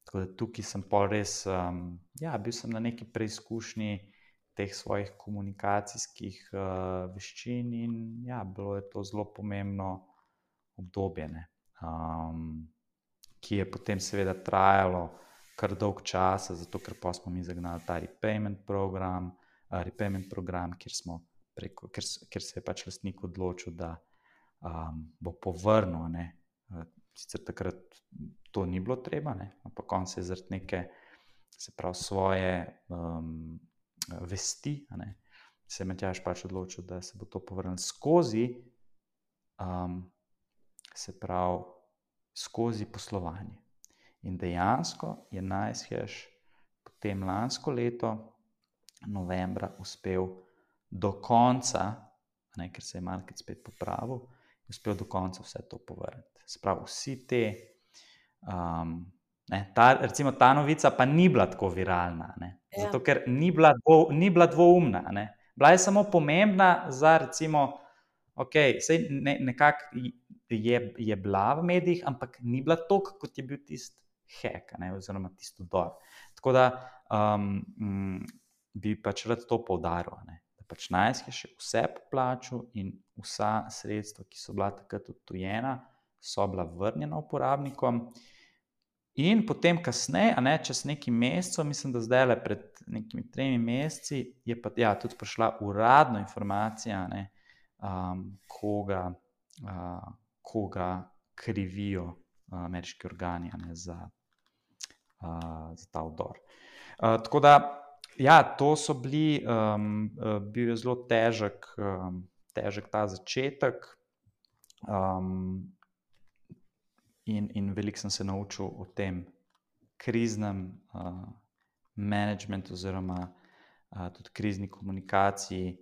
Tako da tukaj sem pol res, um, ja, bil sem na neki preizkušnji teh svojih komunikacijskih uh, veščin in ja, bilo je to zelo pomembno obdobje, ne, um, ki je potem seveda trajalo kar dolg časa, zato ker pa smo mi zagnali ta repayment program, uh, repayment program, kjer smo preko, ker, ker se je pač lastnik odločil, da um, bo povrnil, ne, uh, sicer takrat to ni bilo treba, ne, ampak on se je zaradi neke, se pravi, svoje um, vesti, ne, se je Matjaž pač odločil, da se bo to povrnil skozi, um, se pravi, skozi poslovanje. In dejansko je NiceHash potem lansko leto, novembra, uspel do konca, ne, ker se je market spet popravil, uspel do konca vse to povrniti. Se pravi, vsi te, um, ne, ta, recimo ta novica pa ni bila tako viralna, ne, ja. Zato ker ni bila, dvo, ni bila dvoumna. Ne. Bila je samo pomembna za recimo, ok, sej ne, nekako je, je bila v medijih, ampak ni bila toliko, kot je bil tisti hack, ne, oziroma tisti vdor. Tako da um, m, bi pač rad to poudaril, ne, da pač NiceHash je vse poplačal in vsa sredstva, ki so bila takrat odtujena, so bila vrnjena uporabnikom. In potem kasneje, a ne, čez nekaj mesecev, mislim, da zdaj le pred nekimi tremi meseci, je pa ja, tudi prišla uradna informacija, ne, um, koga, uh, koga krivijo uh, ameriški organi, ne, za, uh, za ta vdor. Uh, tako da, ja, to so bili, um, uh, bil je zelo težek, um, težek ta začetek. Um, In, in veliko sem se naučil o tem kriznem uh, managementu oziroma uh, tudi krizni komunikaciji,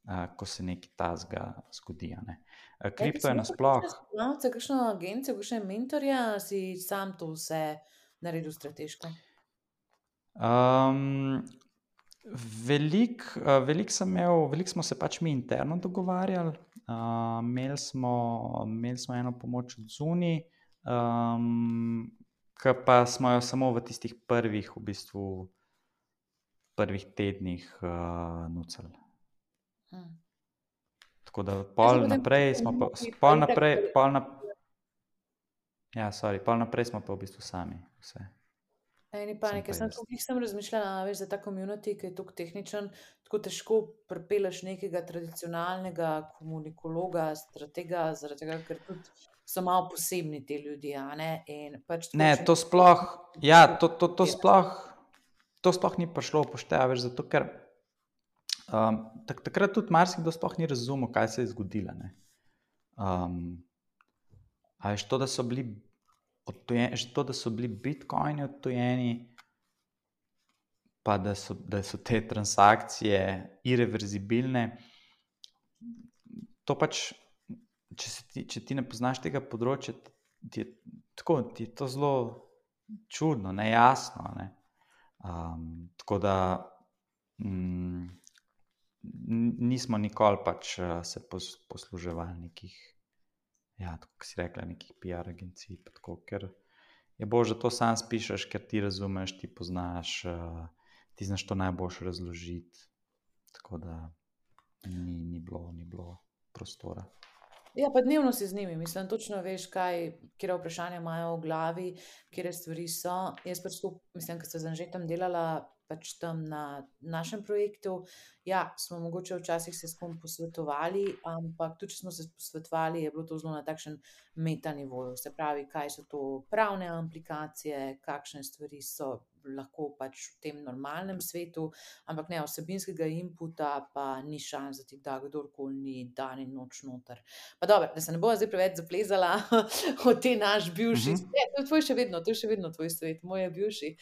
uh, ko se nekaj tazga zgodi. Ne. Uh, kripto je nasploh.
Če kakšno agencijo, kakšne mentorja, si sam to vse naredil strateško?
Um, velik, uh, velik sem imel, veliko smo se pač mi interno dogovarjali. Uh, imeli smo, imeli smo eno pomoč od zunaj, Um, ki pa smo jo samo v tistih prvih, v bistvu, prvih tednih uh, nucali. Hmm. Tako da pol naprej smo pa, pol naprej, pol naprej, ja, sorry, pol naprej smo pa v bistvu sami vse.
Eni panike, sem tukaj sem razmišljala, veš, za ta community, ki je tako tehničen, tako težko pripeleš nekega tradicionalnega komunikologa, stratega, zaradi tega, ker tudi so malo posebni te ljudje, a ne? In pač
ne, to sploh, ja, to, to, to sploh, to sploh ni prišlo upošteva, veš, zato ker um, tak, takrat tudi marsikdo sploh ni razumel, kaj se je zgodilo, ne. Um, A veš, to, da so bili odtujeni, to, da so bili bitcoini odtujeni, pa da so, da so te transakcije irreverzibilne, to pač, če, se ti, če ti ne poznaš tega področja, ti je, tako, ti je to zelo čudno, nejasno. Ne? Um, tako da mm, nismo nikoli pač se pos, posluževali nekih, ja, tako si rekla, nekih P R agencij, pa tako, ker je bože, to sam spišeš, ker ti razumeš, ti poznaš, uh, ti znaš to najboljše razložiti, tako da ni, ni bilo, ni bilo prostora.
Ja, pa dnevno si z njimi, mislim, točno veš, kaj, kje vprašanja imajo v glavi, kje stvari so. Jaz pač skup, mislim, ker sem z Anžetom delala pač tam na našem projektu, ja, smo mogoče včasih se s kom posvetovali, ampak tudi, če smo se posvetovali, je bilo to zelo na takšen meta nivoju. Se pravi, kaj so to pravne implikacije, kakšne stvari so lahko pač v tem normalnem svetu, ampak ne, vsebinskega inputa pa ni šans, da ti da kdorkoli ni dan in noč noter. Pa dobro, da se ne bova zdaj preveč zaplezala o te naš bivši
Mhm.
svet, to je tvoj še vedno, to je še vedno tvoj svet, moj je bivši.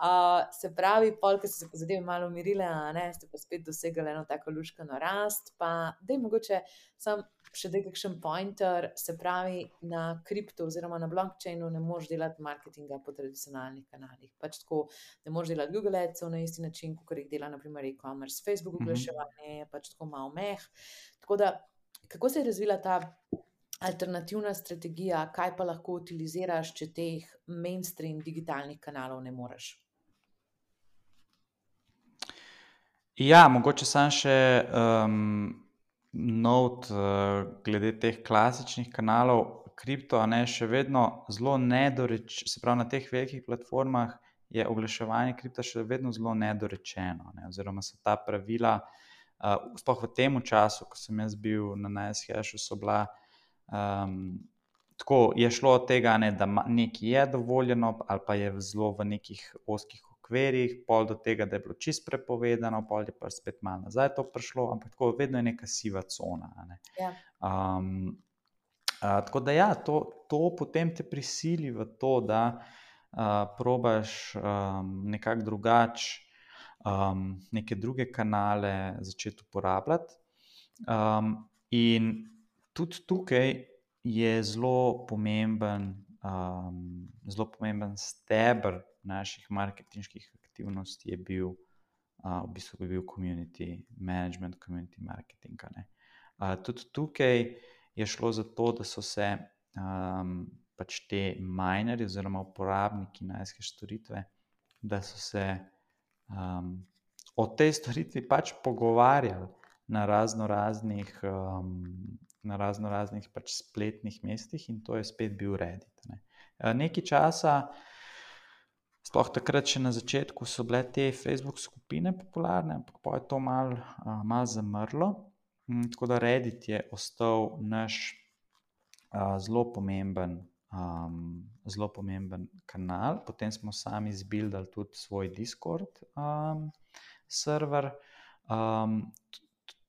Uh, se pravi, pol, ko so se pa zadeve malo umirile, a ne, ste pa spet dosegali eno tako luškano rast, pa daj mogoče sam še daj kakšen pointer, se pravi, na kripto oziroma na blockchainu ne moreš delati marketinga po tradicionalnih kanalih. Pač tako, ne moreš delati Google Adsov na isti način, kot jih dela na primer e-commerce. Facebook oglaševanje je pač tako malo meh. Tako da, kako se je razvila ta alternativna strategija, kaj pa lahko utiliziraš, če teh mainstream digitalnih kanalov ne moreš?
Ja, mogoče sam še um, note uh, glede teh klasičnih kanalov, kripto, a ne, še vedno zelo nedoreč, se pravi na teh velikih platformah je oglaševanje kripta še vedno zelo nedorečeno, ne, oziroma so ta pravila, uh, sploh v tem času, ko sem jaz bil na NiceHashu, so bila, um, tako je šlo od tega, ne, da nekaj je dovoljeno ali pa je zelo v nekih ozkih okvirih, pol do tega, da je bilo čisto prepovedano, pol je pa spet malo nazaj to prišlo, ampak tako vedno je neka siva cona. Ne.
Ja.
Um, uh, tako da ja, to, to potem te prisili v to, da uh, probaš um, nekako drugače um, neke druge kanale začeti uporabljati. Um, in tudi tukaj je zelo pomemben, um, zelo pomemben steber naših marketinških aktivnosti je bil, uh, v bistvu je bil community management, community marketing. Uh, tudi tukaj je šlo za to, da so se um, pač te minerji oziroma uporabniki NiceHash storitve, da so se um, o tej storitvi pač pogovarjali na razno raznih um, na razno raznih pač spletnih mestih in to je spet bil Reddit. Ne. Nekaj časa, sploh takrat še na začetku so bile te Facebook skupine popularne, ampak pa je to malo mal zamrlo. Tako da Reddit je ostal naš uh, zelo pomemben, um, zelo pomemben kanal. Potem smo sami izbildali tudi svoj Discord um, server. Um,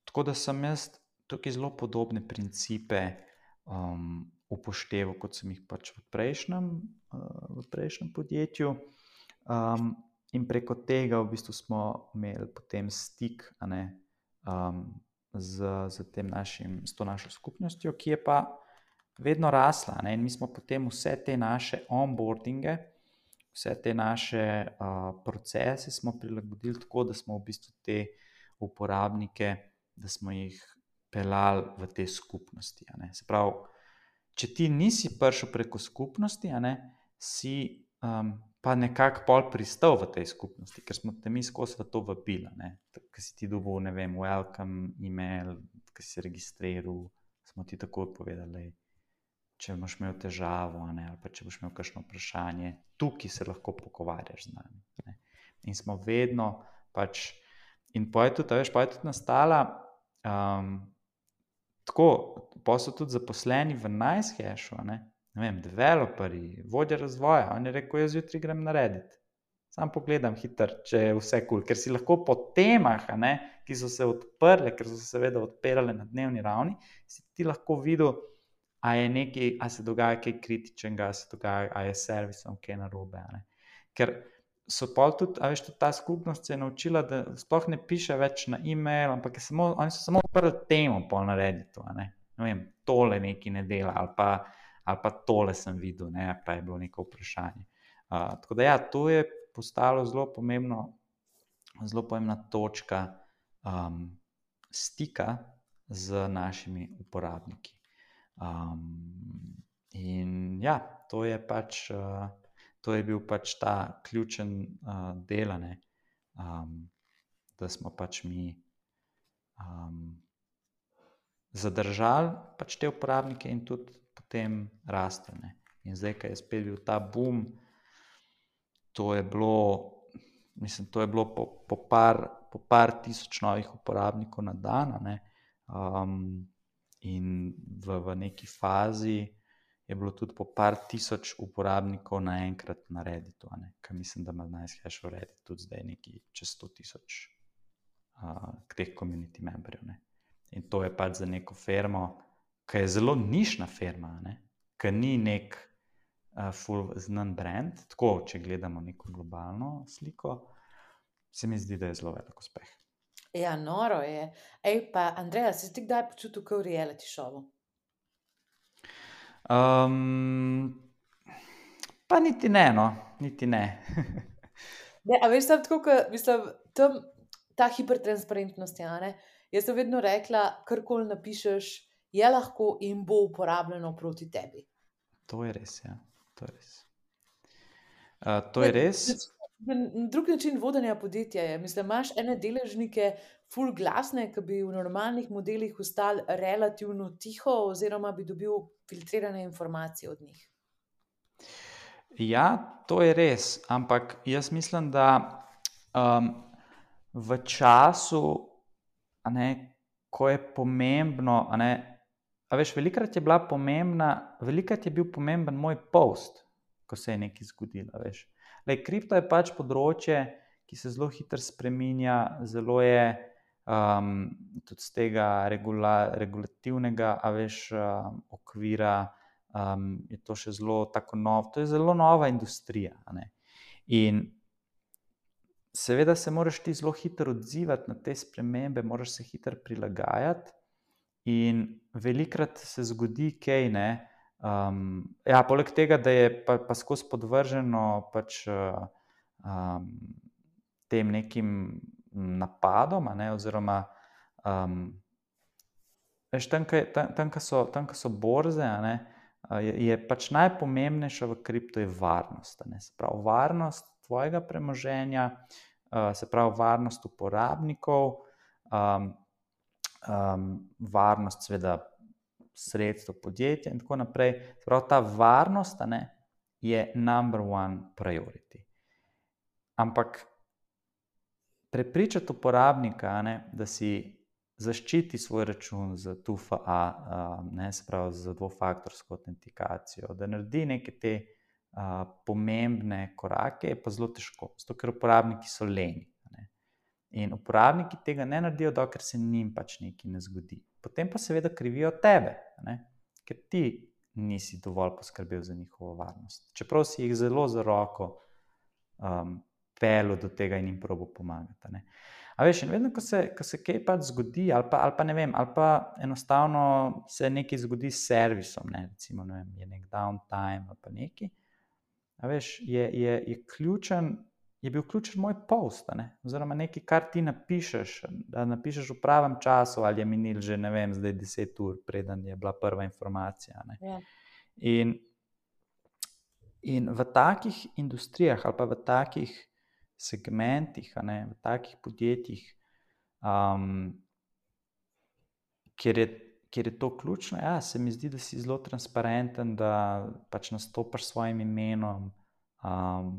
tako da sem jaz tukaj zelo podobne principe um, upošteval, kot sem jih pač v prejšnjem, uh, v prejšnjem podjetju. Um, in preko tega v bistvu smo imeli potem stik, a ne, um, z, z, tem našim, z to našo skupnostjo, ki je pa vedno rasla. Ne, in mi smo potem vse te naše onboardinge, vse te naše uh, procese smo prilagodili tako, da smo v bistvu te uporabnike, da smo jih pelali v te skupnosti. A ne. Se pravi, če ti nisi prišel preko skupnosti, a ne, si um, pa nekako pol pristal v tej skupnosti, ker smo te mi skozi v to vabili. Ker si ti dobil, ne vem, welcome email, ker si se registriral, smo ti takoj povedali, če boš imel težavo, a ne, ali pa če boš imel kakšno vprašanje, tukaj se lahko pogovarjaš z nami. Ne. In smo vedno pač, in pa je tudi, veš, pa je tudi nastala um, tako, pa so tudi zaposleni v NiceHashu, ne, ne vem, developerji, vodja razvoja, on je rekel, jaz jutri grem narediti. Sam pogledam hitro, če je vse kul, cool. Ker si lahko po temah, a ne, ki so se odprle, ker so se seveda odpirale na dnevni ravni, si ti lahko videl a je nekaj, a se dogaja kaj kritičnega, a se dogaja, a je s servisom kaj narobe. A ne. Ker so pol tudi, a veš, tudi ta skupnost se je naučila, da sploh ne piše več na e-mail, ampak je samo, oni so samo odprli temo pol na Redditu, a ne. Ne vem, tole nekaj ne dela, ali pa, ali pa tole sem videl, ne, pa je bilo neko vprašanje. Uh, tako da ja, to je postalo zelo pomembno, zelo pomembna točka um, stika z našimi uporabniki. Um, in ja, to je pač, uh, to je bil pač ta ključen uh, del, ne, um, da smo pač mi um, zadržali pač te uporabnike in tudi potem rastel, ne. In zdaj, ko je spet bil ta boom, to je bilo, mislim, to je bilo po, po, par, po par tisoč novih uporabnikov na dan, ne. Um, in v, v neki fazi je bilo tudi po par tisoč uporabnikov naenkrat na Redditu, ne. Ker mislim, da ima NiceHash v Reddit tudi zdaj neki čez sto tisoč uh, teh community memberjev, ne. In to je pač za neko firmo, ki je zelo nišna firma, ne, ki ni nek uh, full znan brand, tako, če gledamo neko globalno sliko, se mi zdi, da je zelo velik uspeh.
Ja, noro je. Ej, pa Andreja, si ti kdaj počutil kot v reality šovu?
Um, pa niti ne, no, niti ne.
Ne, a veš, sam tako, kot, mislim, tam ta hipertransparentnost, ja, ne? Jaz sem vedno rekla, karkoli napišeš, je lahko in bo uporabljeno proti tebi.
To je res, ja. To je res. Uh, to je res.
Na drug način vodenja podjetja je. Mislim, imaš ene deležnike ful glasne, ki bi v normalnih modelih ostali relativno tiho oziroma bi dobil filtrirane informacije od njih.
Ja, to je res, ampak jaz mislim, da um, v času, a ne, ko je pomembno, a ne, a veš, velikrat je bila pomembna, velikrat je bil pomemben moj post, ko se je nekaj zgodilo, veš. Lej, kripto je pač področje, ki se zelo hitro spreminja, zelo je um, tudi z tega regula, regulativnega, a veš, um, okvira, um, je to še zelo tako nov, to je zelo nova industrija, a ne. In seveda se moraš ti zelo hitro odzivati na te spremembe, moraš se hitro prilagajati in velikrat se zgodi kaj, ne. Um, ja, poleg tega, da je pa, pa skozi podvrženo pač uh, um, tem nekim napadom, a ne, oziroma um, veš, tam, tam, tam, so, tam, so borze, a ne, je, je pač najpomembnejša v kripto je varnost, a ne, se pravi varnost tvojega premoženja, uh, se pravi varnost uporabnikov, um, um, varnost seveda sredstvo podjetja in tako naprej. Prav ta varnost, a ne, je number one priority. Ampak prepričati uporabnika, a ne, da si zaščiti svoj račun z two F A, uh, ne, se pravi z dvofaktorsko autentikacijo, da naredi neke te uh, pomembne korake, je pa zelo težko, zato ker uporabniki so leni. In uporabniki tega ne naredijo, dokler se njim pač nekaj ne zgodi. Potem pa seveda krivijo tebe, ne? Ker ti nisi dovolj poskrbel za njihovo varnost. Čeprav si jih zelo za roko um, pelil do tega in jim probo pomagati. Ne? A veš, in vedno, ko se, ko se kaj pač zgodi, ali pa, ali pa ne vem, ali pa enostavno se nekaj zgodi s servisom, ne? Recimo, ne vem, je nek downtime ali pa nekaj, a veš, je, je, je ključen, je bil ključen moj post, ne? Oziroma nekaj, kar ti napišeš, da napišeš v pravem času, ali je minil že, ne vem, zdaj deset ur, preden je bila prva informacija. Ne?
Ja.
In, in v takih industrijah ali pa v takih segmentih, a ne, v takih podjetjih, um, kjer je, kjer je to ključno, ja, se mi zdi, da si zelo transparenten, da pač nastopaš s svojim imenom, um,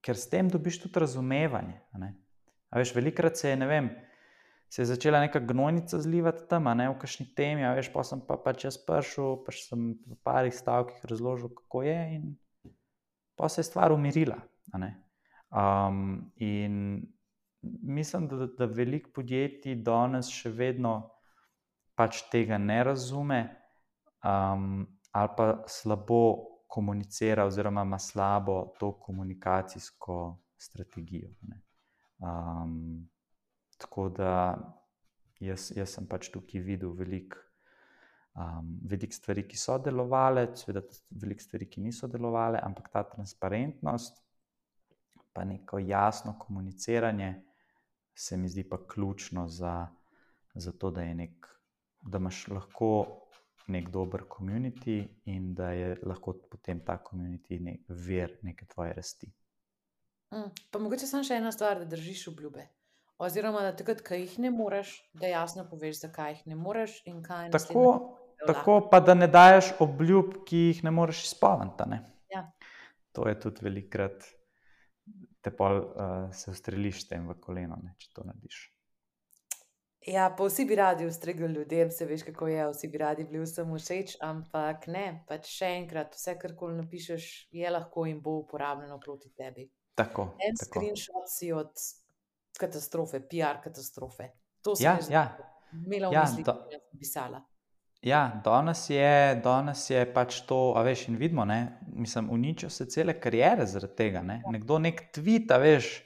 ker s tem dobiš tudi razumevanje. A ne? A veš, velikrat se je, ne vem, se je začela neka gnojnica zlivati tam, a ne, v kakšni temi, a veš, pa sem pa pač jaz prišel, pač sem v parih stavkih razložil, kako je in pa se je stvar umirila, a ne. Um, in mislim, da, da veliko podjetij danes še vedno pač tega ne razume, um, ali pa slabo komunicira oziroma ima slabo to komunikacijsko strategijo. Ne. Um, tako da jaz, jaz sem pač tukaj videl veliko um, velik stvari, ki so delovale, seveda veliko stvari, ki niso delovale, ampak ta transparentnost pa neko jasno komuniciranje se mi zdi pa ključno za, za to, da, je nek, da imaš lahko nek dober community in da je lahko potem ta community nek vir neke tvoje rasti.
Mm, pa mogoče samo še ena stvar, da držiš obljube. Oziroma, da takrat, ko jih ne moreš, da jasno poveš, zakaj jih ne moreš in kaj je naslednje.
Tako, tako pa, da ne daješ obljub, ki jih ne moreš izpolniti. Ne?
Ja.
To je tudi velikrat, te pol uh, se ustreliš s tem v koleno, ne, če to narediš.
Ja, pa vsi bi radi ustregli ljudem, se veš, kako je, vsi bi radi bili vsem všeč, ampak ne, pač še enkrat, vse, kar koli napišeš, je lahko in bo uporabljeno proti tebi.
Tako,
En
tako.
screenshot si od katastrofe, P R katastrofe. To sem
Ja,
jaz
ja.
imela v
Ja,
mislih,
do-
ko sem pisala.
Ja, danes je, danes je pač to, a veš, in vidimo, ne, mislim, uničijo se cele kariere zaradi tega, ne. Nekdo nek tweet, a veš,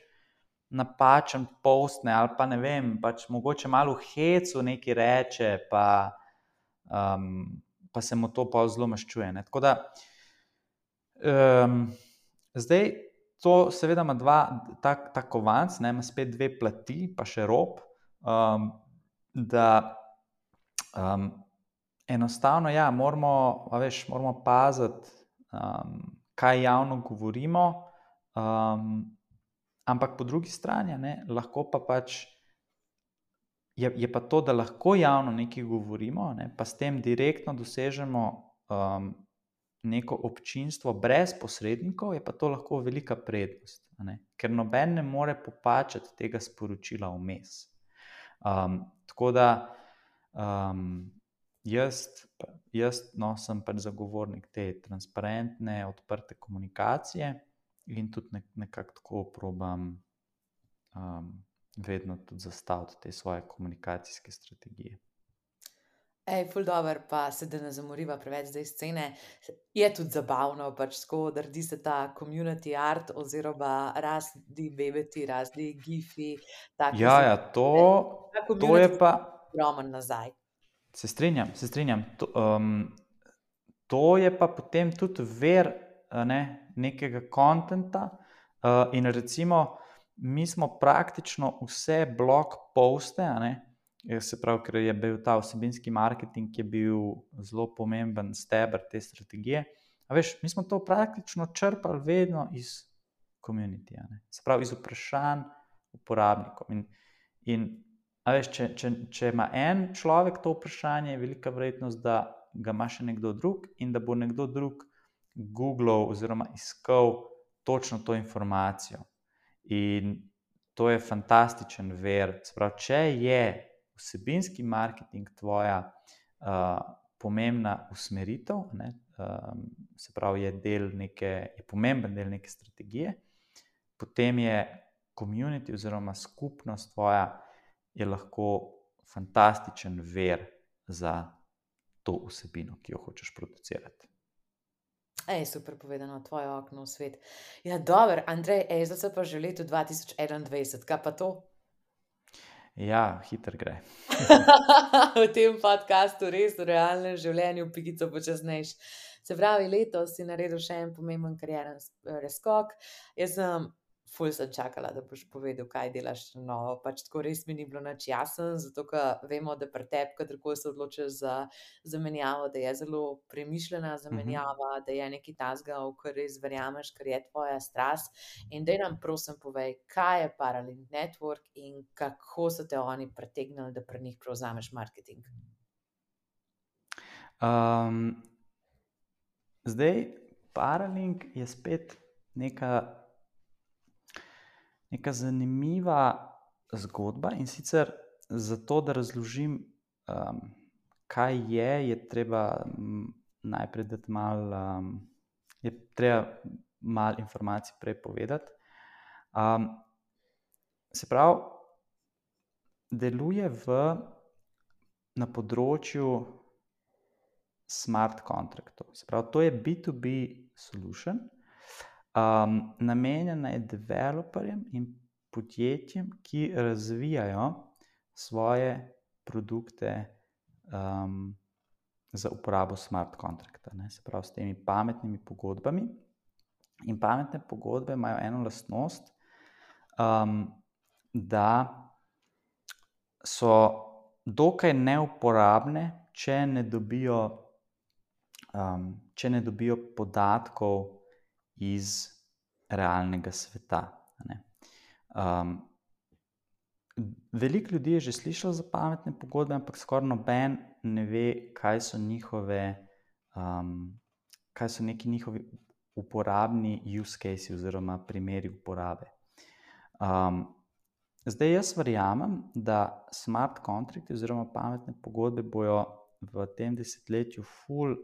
napačen postne ali pa ne vem, pač mogoče malo v hecu nekaj reče, pa, um, pa se mu to pa zelo maščuje, ne. Tako da, um, zdaj to seveda ima dva, ta, ta kovanc, ne, ima spet dve plati, pa še rob, um, da um, enostavno, ja, moramo, a veš, moramo paziti, um, kaj javno govorimo, um, ampak po drugi strani, ne, lahko pa pač, je, je pa to, da lahko javno nekaj govorimo, ne, pa s tem direktno dosežemo um, neko občinstvo brez posrednikov, je pa to lahko velika prednost, a ne, ker noben ne more popačati tega sporočila vmes. Um, tako da um, Jaz, jaz no, sem pač zagovornik te transparentne, odprte komunikacije in tudi nek, nekako tako probam um, vedno tudi zastaviti te svoje komunikacijske strategije.
Ej, ful dober, pa se da ne zamoriva preveč zdaj scene. Je tudi zabavno, pač tako, da redi se ta community art oziroma razni bebeti, razni gifi. take
Ja, ja,
zadeve.
to,
Ta
to
community
je pa,
ogromen nazaj.
se strinjam, se strinjam. To, um, to je pa potem tudi ver, a ne, nekega kontenta uh, in recimo mi smo praktično vse blog poste, a ne, se pravi, ker je bil ta vsebinski marketing, je bil zelo pomemben steber te strategije. A veš, mi smo to praktično črpali vedno iz community, a ne, se pravi iz vprašanj uporabnikov. In, in a veš, če, če, če ima en človek to vprašanje, je velika verjetnost, da ga ima še nekdo drug in da bo nekdo drug googlal oziroma iskal točno to informacijo. In to je fantastičen ver. Se pravi, če je vsebinski marketing tvoja uh, pomembna usmeritev, ne, um, se pravi, je, del neke, je pomemben del neke strategije, potem je community oziroma skupnost tvoja je lahko fantastičen ver za to vsebino, ki jo hočeš producirati.
Ej, super povedano, tvoje okno v svet. Ja, dober, Andrej, ej, zdaj se pa že leto dva tisoč enaindvajset, kaj pa to?
Ja, hiter gre.
V tem podcastu res v realnem življenju pikico počasnejš. Se pravi, letos si naredil še en pomemben karieren preskok. Jaz sem ful sem čakala, da boš povedal, kaj delaš novo. Pač tako res mi ni bilo nič jasno, zato ker vemo, da pri tebi, kadarkoli se odločiš za zamenjavo, da je zelo premišljena zamenjava, da je nekaj takega, v kar res verjameš, ker je tvoja strast. In daj nam prosim povej, kaj je Paralink Network in kako so te oni pritegnili, da pri njih prevzameš marketing.
Um, zdaj, Paralink je spet neka, neka zanimiva zgodba in sicer zato, da razložim, um, kaj je, je treba m, najprej dati malo, um, je treba malo informacij prej povedati. Um, se pravi, deluje v, na področju smart kontraktov. Se pravi, to je B dva B solution, um, namenjena je developerjem in podjetjem, ki razvijajo svoje produkte um, za uporabo smart kontrakta, ne, se pravi s temi pametnimi pogodbami. In pametne pogodbe imajo eno lastnost, um, da so dokaj neuporabne, če ne dobijo, um, če ne dobijo podatkov iz realnega sveta. Ne. Um, veliko ljudi je že slišalo za pametne pogodbe, ampak skoraj noben ne ve, kaj so njihove, um, kaj so neki njihovi uporabni use case oziroma primeri uporabe. Um, zdaj jaz verjamem, da smart kontrakti oziroma pametne pogodbe bojo v tem desetletju ful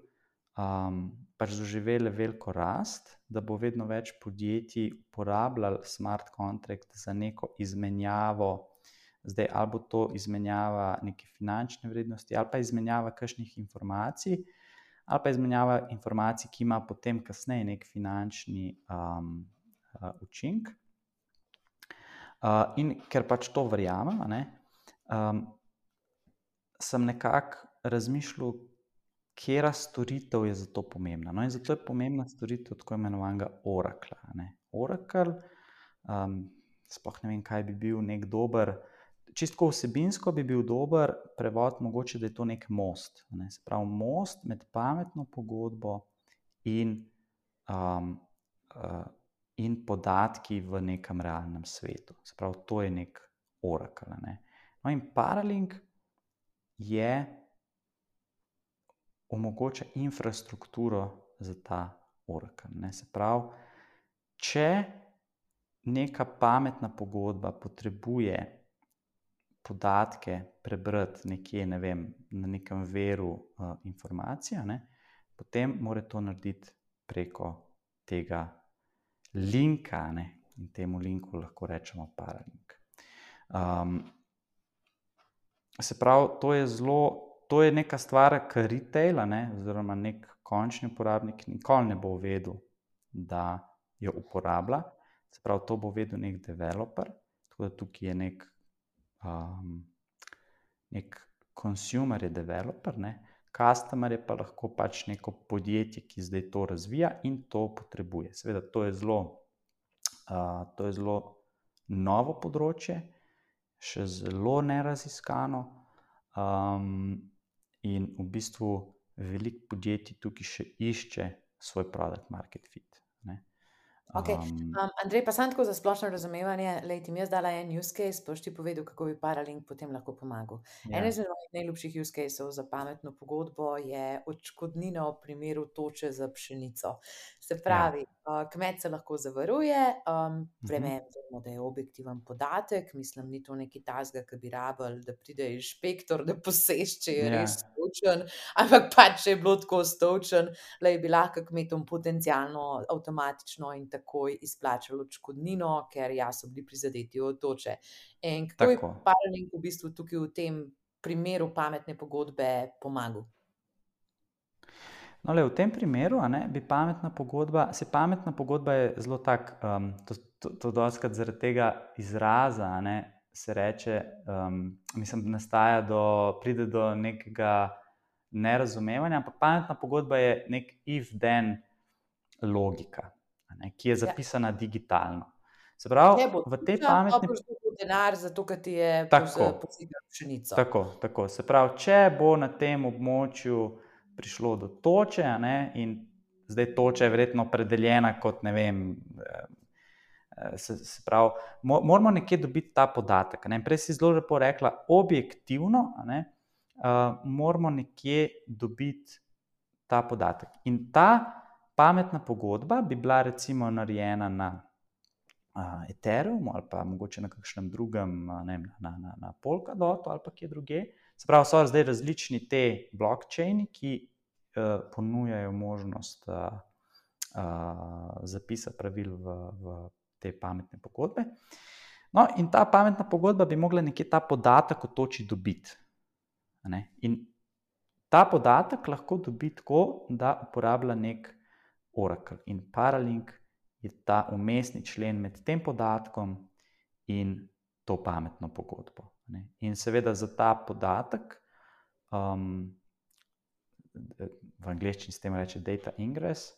um, pač doživele veliko rast, da bo vedno več podjetij uporabljalo smart kontrakt za neko izmenjavo. Zdaj, ali bo to izmenjava neke finančne vrednosti, ali pa izmenjava kakšnih informacij, ali pa izmenjava informacij, ki ima potem kasneje nek finančni um, uh, učink. Uh, in ker pač to verjamem, a ne, um, sem nekako razmišljal, katera storitev je za to pomembna. No, in zato je pomembna storitev tako imenovanega Oracle. Ne. Oracle, um, sploh ne vem, kaj bi bil nek dober, čistko vsebinsko bi bil dober prevod, mogoče, da je to nek most. Ne. Se pravi, most med pametno pogodbo in, um, uh, in podatki v nekem realnem svetu. Se pravi, to je nek Oracle. Ne. No, in Paralink je omogoča infrastrukturo za ta Oracle. Ne. Se pravi, če neka pametna pogodba potrebuje podatke prebrati nekje, ne vem, na nekem veru uh, informacija, ne, potem mora to narediti preko tega linka, ne, in temu linku lahko rečemo Paralink. Um, se pravi, to je zelo, to je neka stvar, ki retaila, ne, oziroma nek končni uporabnik nikoli ne bo vedel, da jo uporablja. Se pravi, to bo vedel nek developer, tako da tukaj je nek Um, nek consumer je developer, ne, customer je pa lahko pač neko podjetje, ki zdaj to razvija in to potrebuje. Seveda, to je zelo, uh, to je zelo novo področje, še zelo neraziskano, um, in v bistvu veliko podjetij tukaj še išče svoj product market fit. Ne.
Okay. Um, Andrej, pa sam tako za splošno razumevanje, lej, ti mi jaz dala en use case, boš ti povedal, kako bi Paralink potem lahko pomagal. Ja. En izmed mojih najljubših use caseov za pametno pogodbo je odškodnina v primeru toče za pšenico. Se pravi, ja. uh, kmet se lahko zavaruje, um, vremen, uh-huh. da je objektiven podatek, mislim, ni to neki tasga, ki bi rabili, da pride inšpektor, da poseš, če je ja. res stočen, ampak pač, če je bilo tako stočen, lej, bi lahko kmetom potencialno, avtomatično in takoj izplačali odškodnino, ker ja, so bili prizadeti od toče. In kako je Paralink v bistvu tukaj v tem primeru pametne pogodbe pomagal?
No, le, v tem primeru, a ne, bi pametna pogodba, se pametna pogodba je zelo tak, um, to, to, to dostikrat zaradi tega izraza, a ne, se reče, um, mislim, nastaja do, pride do nekega nerazumevanja, ampak pametna pogodba je nek if-then logika, ne, ki je zapisana ja. digitalno. Se pravi, v tej pametni...
Če bo denar za to, ker ti je posegel pšenico.
Tako, tako. Se pravi, če bo na tem območju prišlo do toče, ne, in zdaj toča je verjetno opredeljena kot, ne vem, se, se pravi, moramo nekje dobiti ta podatek. Ne. Prej si zelo lepo rekla, objektivno, ne, uh, moramo nekje dobiti ta podatek. In ta pametna pogodba bi bila recimo narejena na uh, Ethereumu ali pa mogoče na kakšnem drugem, ne vem, na, na, na Polkadotu ali pa kje druge. Se pravi, so zdaj različni te blockchaini, ki uh, ponujajo možnost uh, uh, zapisa pravil v, v te pametne pogodbe. No, in ta pametna pogodba bi mogla nekje ta podatek o toči dobiti. Ne? In ta podatek lahko dobi tako, da uporablja nek Oracle. In Paralink je ta umestni člen med tem podatkom in to pametno pogodbo. Ne. In seveda za ta podatek, um, v angleščini s tem reče data ingress,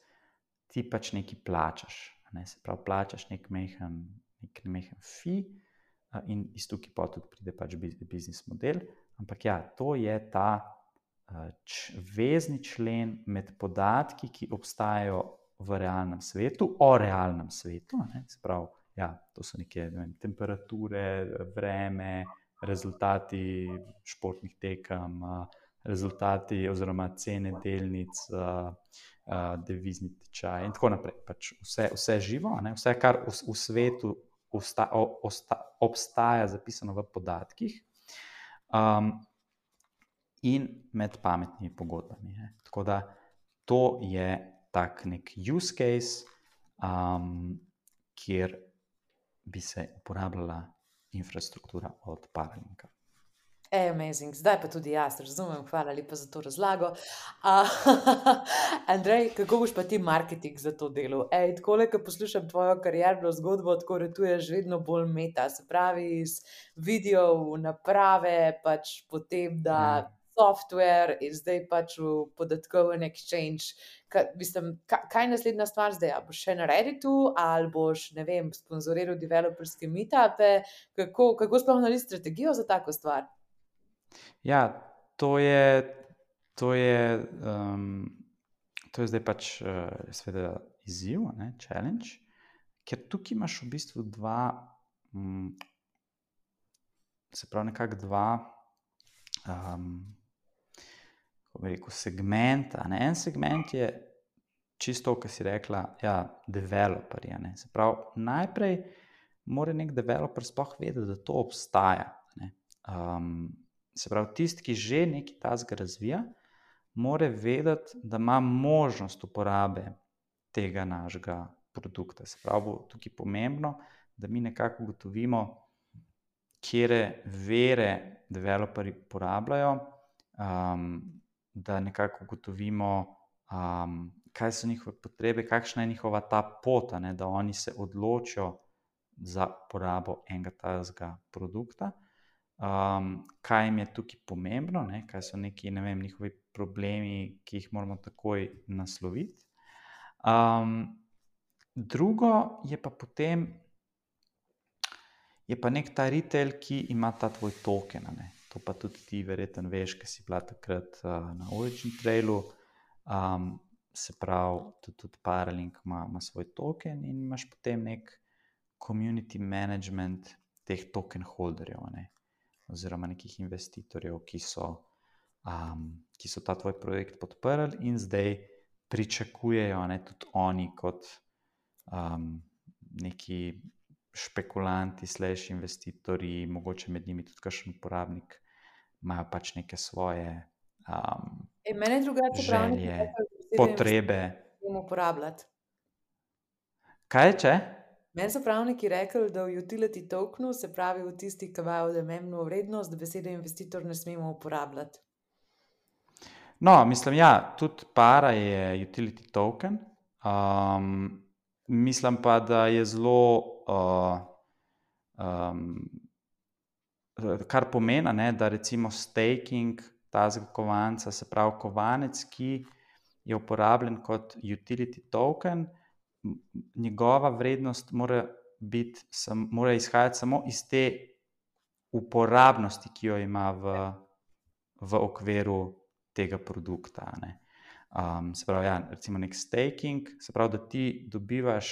ti pač nekaj plačaš. Ne. Se pravi, plačaš nek mehen, nek mehen fee uh, in iz tukaj pa tudi pride pač biznis model. Ampak ja, to je ta uh, č, vezni člen med podatki, ki obstajajo v realnem svetu, o realnem svetu. Ne. Se pravi, ja, to so neke, ne vem, temperature, vreme, rezultati športnih tekem, rezultati oziroma cene delnic, devizni tečaj in tako naprej. Pač vse, vse živo, ne? Vse, kar v, v svetu osta, osta, obstaja zapisano v podatkih um, in med pametnimi pogodbami. Ne? Tako da to je tak nek use case, um, kjer bi se uporabljala infrastruktura od Paralinka.
Ej, amazing. Zdaj pa tudi jaz razumem, hvala lepa za to razlago. Uh, Andrej, kako boš pa ti marketing za to delo? Ej, takole, ko poslušam tvojo karierno zgodbo, tako retuješ vedno bolj meta, se pravi iz videov, naprave, pač potem da
Ja.
software in zdaj pač v podatkoven exchange. Ka, mislim, ka, kaj je naslednja stvar zdaj? A boš še na Redditu ali boš, ne vem, sponzoriral developerske meetupe? Kako, kako sploh narediti strategijo za tako stvar?
Ja, to je, to je, um, to je zdaj pač uh, seveda izziv, ne, challenge, ker tukaj imaš v bistvu dva, um, se pravi nekako dva, um, kako bi rekel, segmenta. Ne. En segment je čisto, kar si rekla, ja, developerji. Ne. Se pravi, najprej mora nek developer sploh vedeti, da to obstaja. Ne. Um, Se pravi, tisti, ki že nekaj takega razvija, mora vedeti, da ima možnost uporabe tega našega produkta. Se pravi, bo tukaj pomembno, da mi nekako ugotovimo, katere vere developerji uporabljajo, um, da nekako ugotovimo, um, kaj so njihove potrebe, kakšna je njihova ta pot, ne, da oni se odločijo za uporabo enega takega produkta. Um, kaj jim je tukaj pomembno, ne? Kaj so neki, ne vem, njihovi problemi, ki jih moramo takoj nasloviti. Um, drugo je pa potem, je pa nek ta retail, ki ima ta tvoj token. Ne? To pa tudi ti verjetno veš, ker si bila takrat uh, na Origin Trailu. Um, se pravi, tudi, tudi Paralink ima, ima svoj token in imaš potem nek community management teh token holderjev, ne? Oziroma nekih investitorjev, ki so, um, ki so ta tvoj projekt podprli in zdaj pričakujejo, ne, tudi oni kot um, neki špekulanti, slash investitorji, mogoče med njimi tudi kakšen uporabnik, imajo pač neke svoje um,
E, mene drugače
želje, potrebe.
uporabljati.
Kaj če?
Meni so pravniki rekli, da v utility tokenu, se pravi v tisti, ki imajo odmemno vrednost, da besede investitor ne smemo uporabljati.
No, mislim, ja, tudi Para je utility token. Um, mislim pa, da je zelo, uh, um, kar pomeni, ne, da recimo staking tazga kovanca, se pravi kovanec, ki je uporabljen kot utility token, njegova vrednost mora, biti, sam, mora izhajati samo iz te uporabnosti, ki jo ima v, v okviru tega produkta. Ne. Um, se pravi, ja, recimo nek staking, se pravi, da ti dobivaš,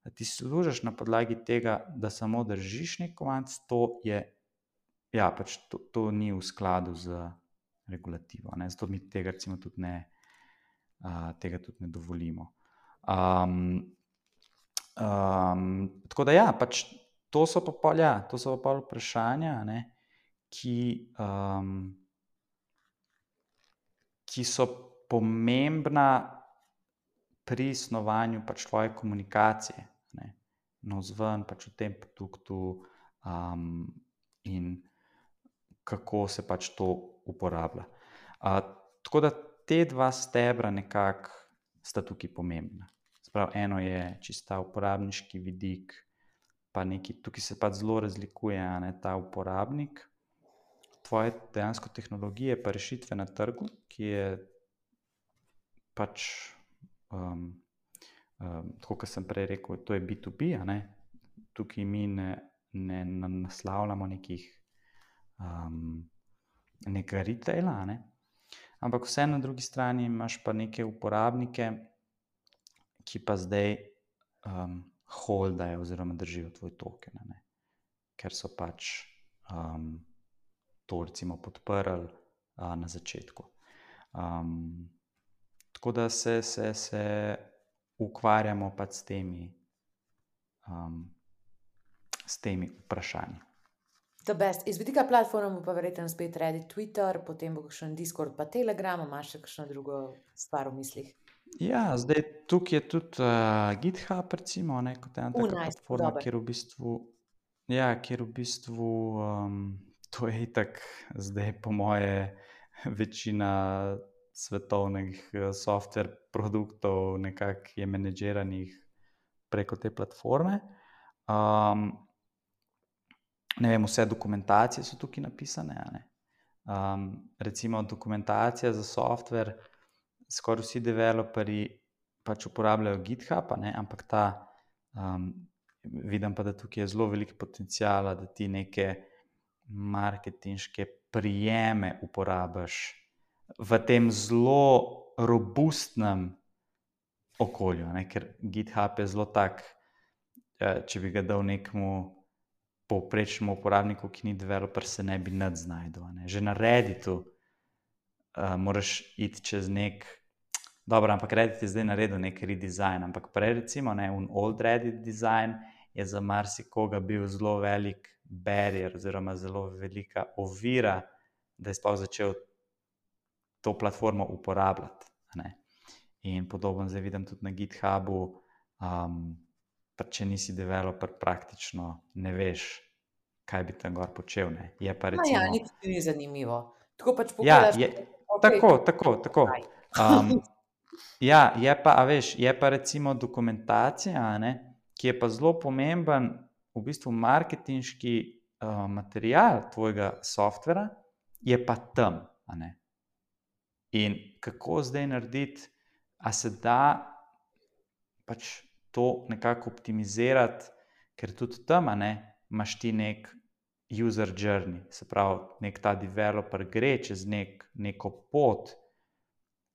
da ti služiš na podlagi tega, da samo držiš nek kovanc, to je, ja, pač to, to ni v skladu z regulativo. Ne. Zato mi tega recimo tudi ne, uh, tega tudi ne dovolimo. Um, um, tako da ja, pač to so pa pol, ja, to so pa pol vprašanja, ne, ki, um, ki so pomembna pri snovanju pač tvoje komunikacije, ne, navzven pač v tem produktu um, in kako se pač to uporablja. Uh, tako da te dva stebra nekako sta tukaj pomembna. Sprav, eno je čista uporabniški vidik, pa neki, tukaj se pač zelo razlikuje, a ne, ta uporabnik, tvoje dejansko tehnologije pa rešitve na trgu, ki je pač, um, um, tako kot sem prej rekel, to je B to B, a ne, tukaj mi ne, ne naslavljamo nekih um, nekega retaila, a ne, ampak vse na drugi strani imaš pa neke uporabnike, ki pa zdaj um, holdajo oziroma držijo tvoj token, a ne, ker so pač um, to recimo podprli uh, na začetku. Um, tako da se, se, se ukvarjamo pač s temi, um, s temi vprašanji.
The best. Iz vidika platform pa verjetno spet Reddit, Twitter, potem bo kakšen Discord pa Telegram, imaš še kakšno drugo stvar v mislih?
Ja, zdaj tukaj je tudi uh, GitHub, recimo, ne, kot ena taka
Uh, nice,
platforma,
dober.
kjer v bistvu, ja, kjer v bistvu um, to je itak zdaj po moje večina svetovnih uh, software produktov nekako je menedžeranih preko te platforme. Um, ne vem, vse dokumentacije so tukaj napisane, a ne. Um, recimo dokumentacija za software, skoraj vsi developerji pač uporabljajo GitHub, a ne, ampak ta, um, vidim pa, da tukaj je zelo veliko potenciala, da ti neke marketinške prijeme uporabiš v tem zelo robustnem okolju, ne, ker GitHub je zelo tak, če bi ga dal nekemu povprečnemu uporabniku, ki ni developer, se ne bi nič znajdel, ne. Že na Redditu uh, moraš iti čez nek, dobro, ampak Reddit je zdaj naredil nek redesign, ampak prej recimo, ne, un old Reddit design je za marsikoga bil zelo velik barrier oziroma zelo velika ovira, da je sploh začel to platformo uporabljati, ne. In podobno zdaj vidim tudi na GitHubu, um, pa če nisi developer, praktično ne veš, kaj bi tam gor počel, ne. Je pa recimo...
Ma ja, nič ti ni zanimivo. Tako pač
Ja,
pogledaš,
je,
okay,
tako, tako, tako. Um, ja, je pa, a veš, je pa recimo dokumentacija, a ne, ki je pa zelo pomemben v bistvu marketinški uh, material tvojega softvera, je pa tam, a ne. In kako zdaj narediti, a se da pač to nekako optimizirati, ker tudi tam, a ne, imaš ti nek user journey, se pravi, nek ta developer gre čez nek, neko pot,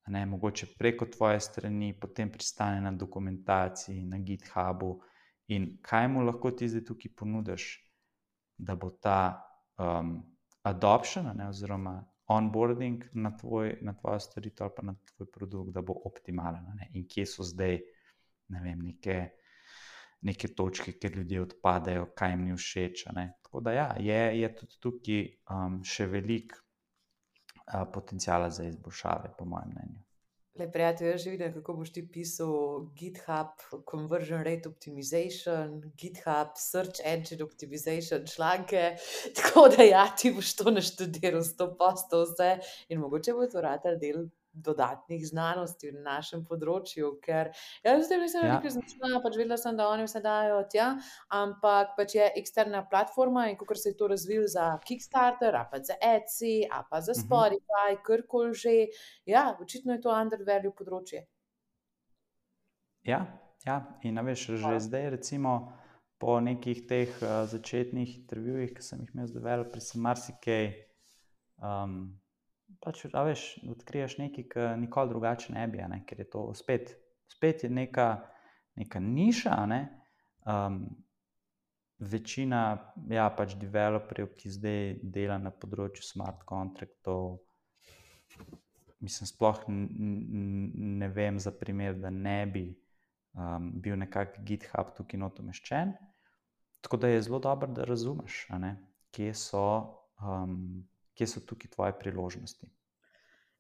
a ne, mogoče preko tvoje strani, potem pristane na dokumentaciji, na GitHubu, in kaj mu lahko ti zdaj tukaj ponudiš, da bo ta um, adoption, a ne, oziroma onboarding na, tvoj, na tvojo storitev ali pa na tvoj produkt, da bo optimalen, a ne, in kje so zdaj, ne vem, neke, neke točke, kjer ljudje odpadejo, kaj jim ni všeč, a ne. Tako da ja, je, je tudi tukaj um, še veliko uh, potenciala za izboljšave, po mojem mnenju.
Le, prijatelj, jaz že vidim, kako boš ti pisal GitHub Conversion Rate Optimization, GitHub Search Engine Optimization članke, tako da ja, ti boš to naštudiral sto posto vse in mogoče bo to ratal del dodatnih znanosti v našem področju, ker jaz zdaj mislim, da
Ja.
nekaj značila, pač vedela sem, da oni vse dajo tja, ampak pač je eksterna platforma in kakor se je to razvil za Kickstarter, a pa za Etsy, a pa za
Mhm.
Spotify, karkoli že, ja, očitno je to undervalue področje.
Ja, ja, in a veš, že
Hvala.
zdaj recimo po nekih teh uh, začetnih intervjujih, ki sem jih imel z developerji, sem marsikaj, um, pač, a veš, odkriješ nekaj, ki nikoli drugače ne bi, a ne, ker je to spet, spet je neka, neka niša, a ne, um, večina, ja, pač developerjev, ki zdaj dela na področju smart contractov, mislim, sploh ne vem za primer, da ne bi um, bil nekak GitHub tukaj not umeščen, tako da je zelo dobro, da razumeš, a ne, kje so, um, kje so tukaj tvoje priložnosti.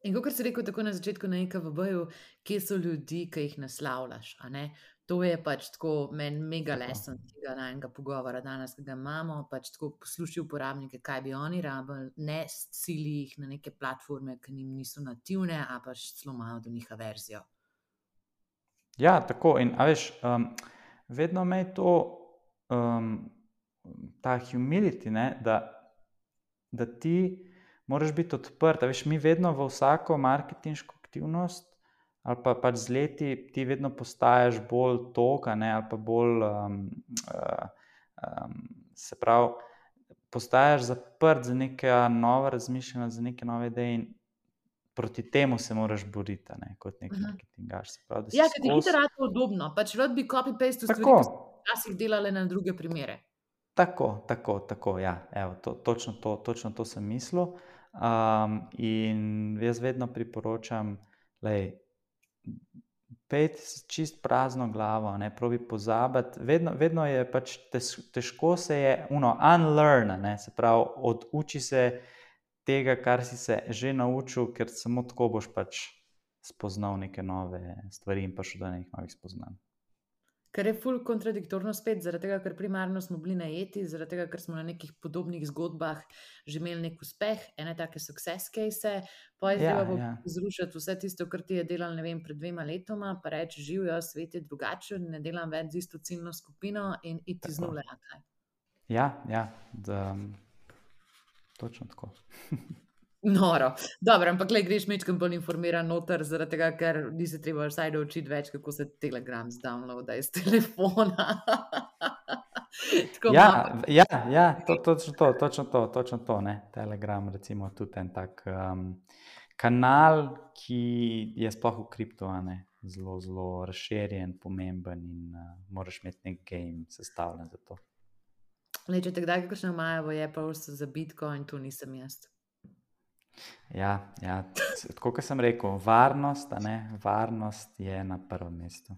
In kakor si rekel tako na začetku na I K V B-ju, kje so ljudi, ki jih naslavljaš, a ne? To je pač tako meni mega
Tako.
lesson tega najinega pogovora danes, ki ga imamo, pač tako poslušaj uporabnike, kaj bi oni rabili, ne sili jih na neke platforme, ki njim niso nativne, a pač celo imajo do njih averzijo.
Ja, tako. In a veš, um, vedno me je to, um, ta humility, ne, da, da ti moraš biti odprt. A veš, mi vedno v vsako marketinško aktivnost ali pa pač z leti ti vedno postaješ bolj tok, a ne, ali pa bolj, um, uh, um, se pravi, postaješ zaprt za neka nova razmišljanja, za neke nove ideje in proti temu se moraš boriti, a ne, kot nek
Mhm.
marketingaš. Se pravi, da
Ja,
si
ker ti
skozi...
hitro rata udobno, pač rad bi copy-paste stvari,
Tako,
ki so včasih delale na druge primere.
tako, tako, tako, ja. Evo, to, točno, to, točno to sem mislil. Um, in jaz vedno priporočam, lej, pejte s čist prazno glavo, ne, probi pozabiti. Vedno, vedno je pač tež, težko se je uno, unlearn, ne, se pravi, oduči se tega, kar si se že naučil, ker samo tako boš pač spoznal neke nove stvari in prišel do nekih novih spoznanj.
Kar je ful kontradiktorno spet, zaradi tega, ker primarno smo bili najeti, zaradi tega, ker smo na nekih podobnih zgodbah že imeli nek uspeh, ene take success case, pa je
Ja,
treba
ja.
zrušiti vse tisto, kar ti je delal, ne vem, pred dvema letoma, pa reči, živijo, svet je drugačen, ne delam več z isto ciljno skupino in iti z
Tako.
nule. a kaj.
Ja, ja, da, točno tako.
Noro. Dobro, ampak le greš mečkam bolj informiran noter, zaradi tega, ker nisi treba vsaj naučiti več, kako se Telegram zdownloada iz telefona. Tako
Ja,
malo.
ja, ja, to, točno to, točno to, točno to, ne. Telegram, recimo, tudi en tak um, kanal, ki je sploh v kripto, a ne, zelo, zelo razširjen, pomemben in uh, moraš imeti nek game sestavljen za to.
Lej, če te kdaj kakšno imajo v Apple za Bitcoin, to nisem jaz.
Ja, ja, c- tako kot sem rekel, varnost, a ne, varnost je na prvem mestu.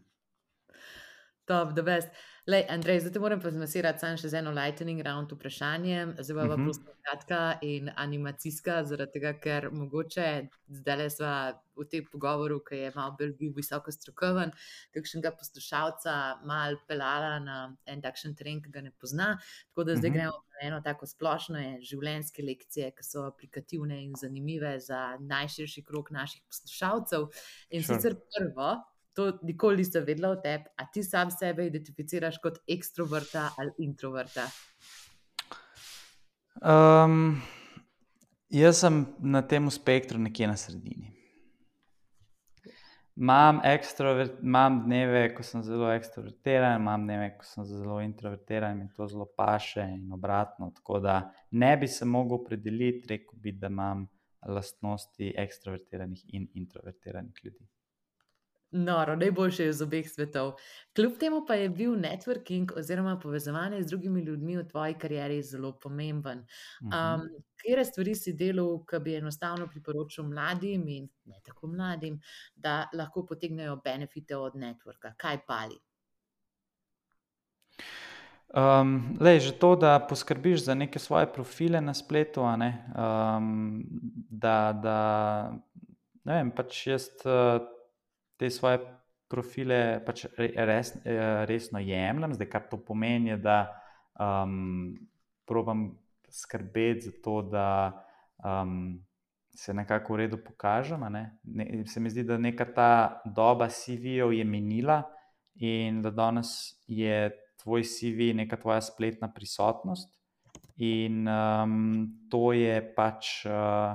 Top, the best. Lej, Andrej, zdaj te moram pa zmasirati samo še z eno lightning round vprašanjem. Zdaj pa
Mhm.
prosto kratka in animacijska, zaradi tega, ker mogoče zdajle sva v tem pogovoru, ki je malo bolj bil visoko strokoven, kakšnega poslušalca mal pelala na en takšen teren, ki ga ne pozna. Tako da zdaj
Mhm.
gremo na eno tako splošno življenjske lekcije, ki so aplikativne in zanimive za najširši krog naših poslušalcev. In
Sure.
sicer prvo, to nikoli nisem vedela o tebi, a ti sam sebe identificiraš kot ekstroverta ali introverta?
Um, jaz sem na tem spektru nekje na sredini. Imam, ekstrovert, imam dneve, ko sem zelo ekstrovertiran, imam dneve, ko sem zelo introvertiran in to zelo paše in obratno. Tako da ne bi se mogel opredeliti, rekel bi, da imam lastnosti ekstrovertiranih in introvertiranih ljudi.
Noro, najboljše je iz obeh svetov. Kljub temu pa je bil networking oziroma povezovanje z drugimi ljudmi v tvoji karieri zelo pomemben.
Mhm.
Um, katere stvari si delal, ki bi enostavno priporočil mladim in ne tako mladim, da lahko potegnejo benefite od networka? Kaj pali?
Um, lej, že to, da poskrbiš za neke svoje profile na spletu, a ne, um, da, da, ne vem, pač jaz uh, te svoje profile pač re- res, eh, resno jemljem, zdaj kar to pomeni, je, da um, probam skrbeti za to, da um, se nekako v redu pokažem, a ne. Ne, se mi zdi, da neka ta doba C V-jev je minila in da danes je tvoj C V neka tvoja spletna prisotnost in um, to je pač uh,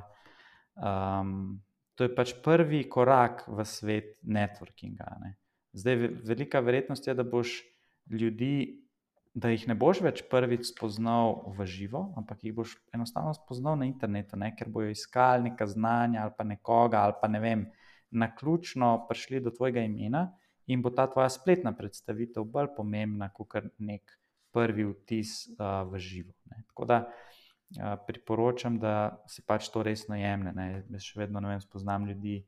um, to je pač prvi korak v svet networkinga, ne. Zdaj, ve- velika verjetnost je, da boš ljudi, da jih ne boš več prvič spoznal v živo, ampak jih boš enostavno spoznal na internetu, ne, ker bojo iskali neka znanja ali pa nekoga ali pa ne vem, naključno prišli do tvojega imena in bo ta tvoja spletna predstavitev bolj pomembna kot nek prvi vtis uh, v živo. Ne. Tako da uh, priporočam, da se pač to resno jemlje. Ne. Jaz še vedno ne vem, spoznam ljudi,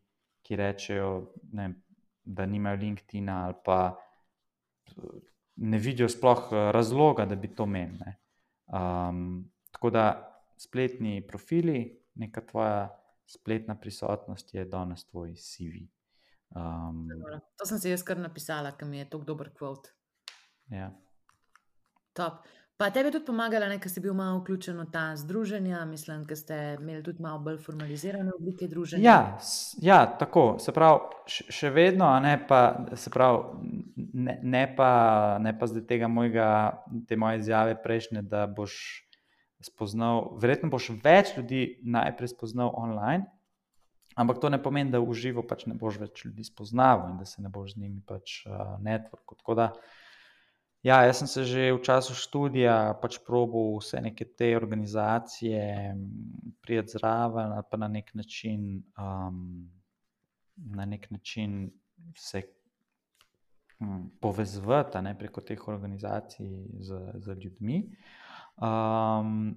ki rečejo, ne vem, da nimajo LinkedIna ali pa uh, ne vidijo sploh uh, razloga, da bi to imeli. Ne. Um, tako da spletni profili, neka tvoja spletna prisotnost je danes tvoj C V. Um,
To sem si jaz kar napisala, ker mi je tako dober kvot.
ja.
Top. Pa tebi je tudi pomagala, ker si bil malo vključen v ta združenja, mislim, ker ste imeli tudi malo bolj formalizirane oblike druženja.
Ja, s, ja, tako, se pravi, še, še vedno, a ne pa, se pravi, ne, ne pa, ne pa zdaj tega mojega, te moje izjave prejšnje, da boš spoznal, verjetno boš več ljudi najprej spoznal online, ampak to ne pomeni, da v živo pač ne boš več ljudi spoznaval in da se ne boš z njimi pač uh, network. Tako da, ja, jaz sem se že v času študija pač probal vse neke te organizacije prijeti zraven ali pa na nek način um, na nek način se um, povezvati ne, preko teh organizacij z, z ljudmi. Um,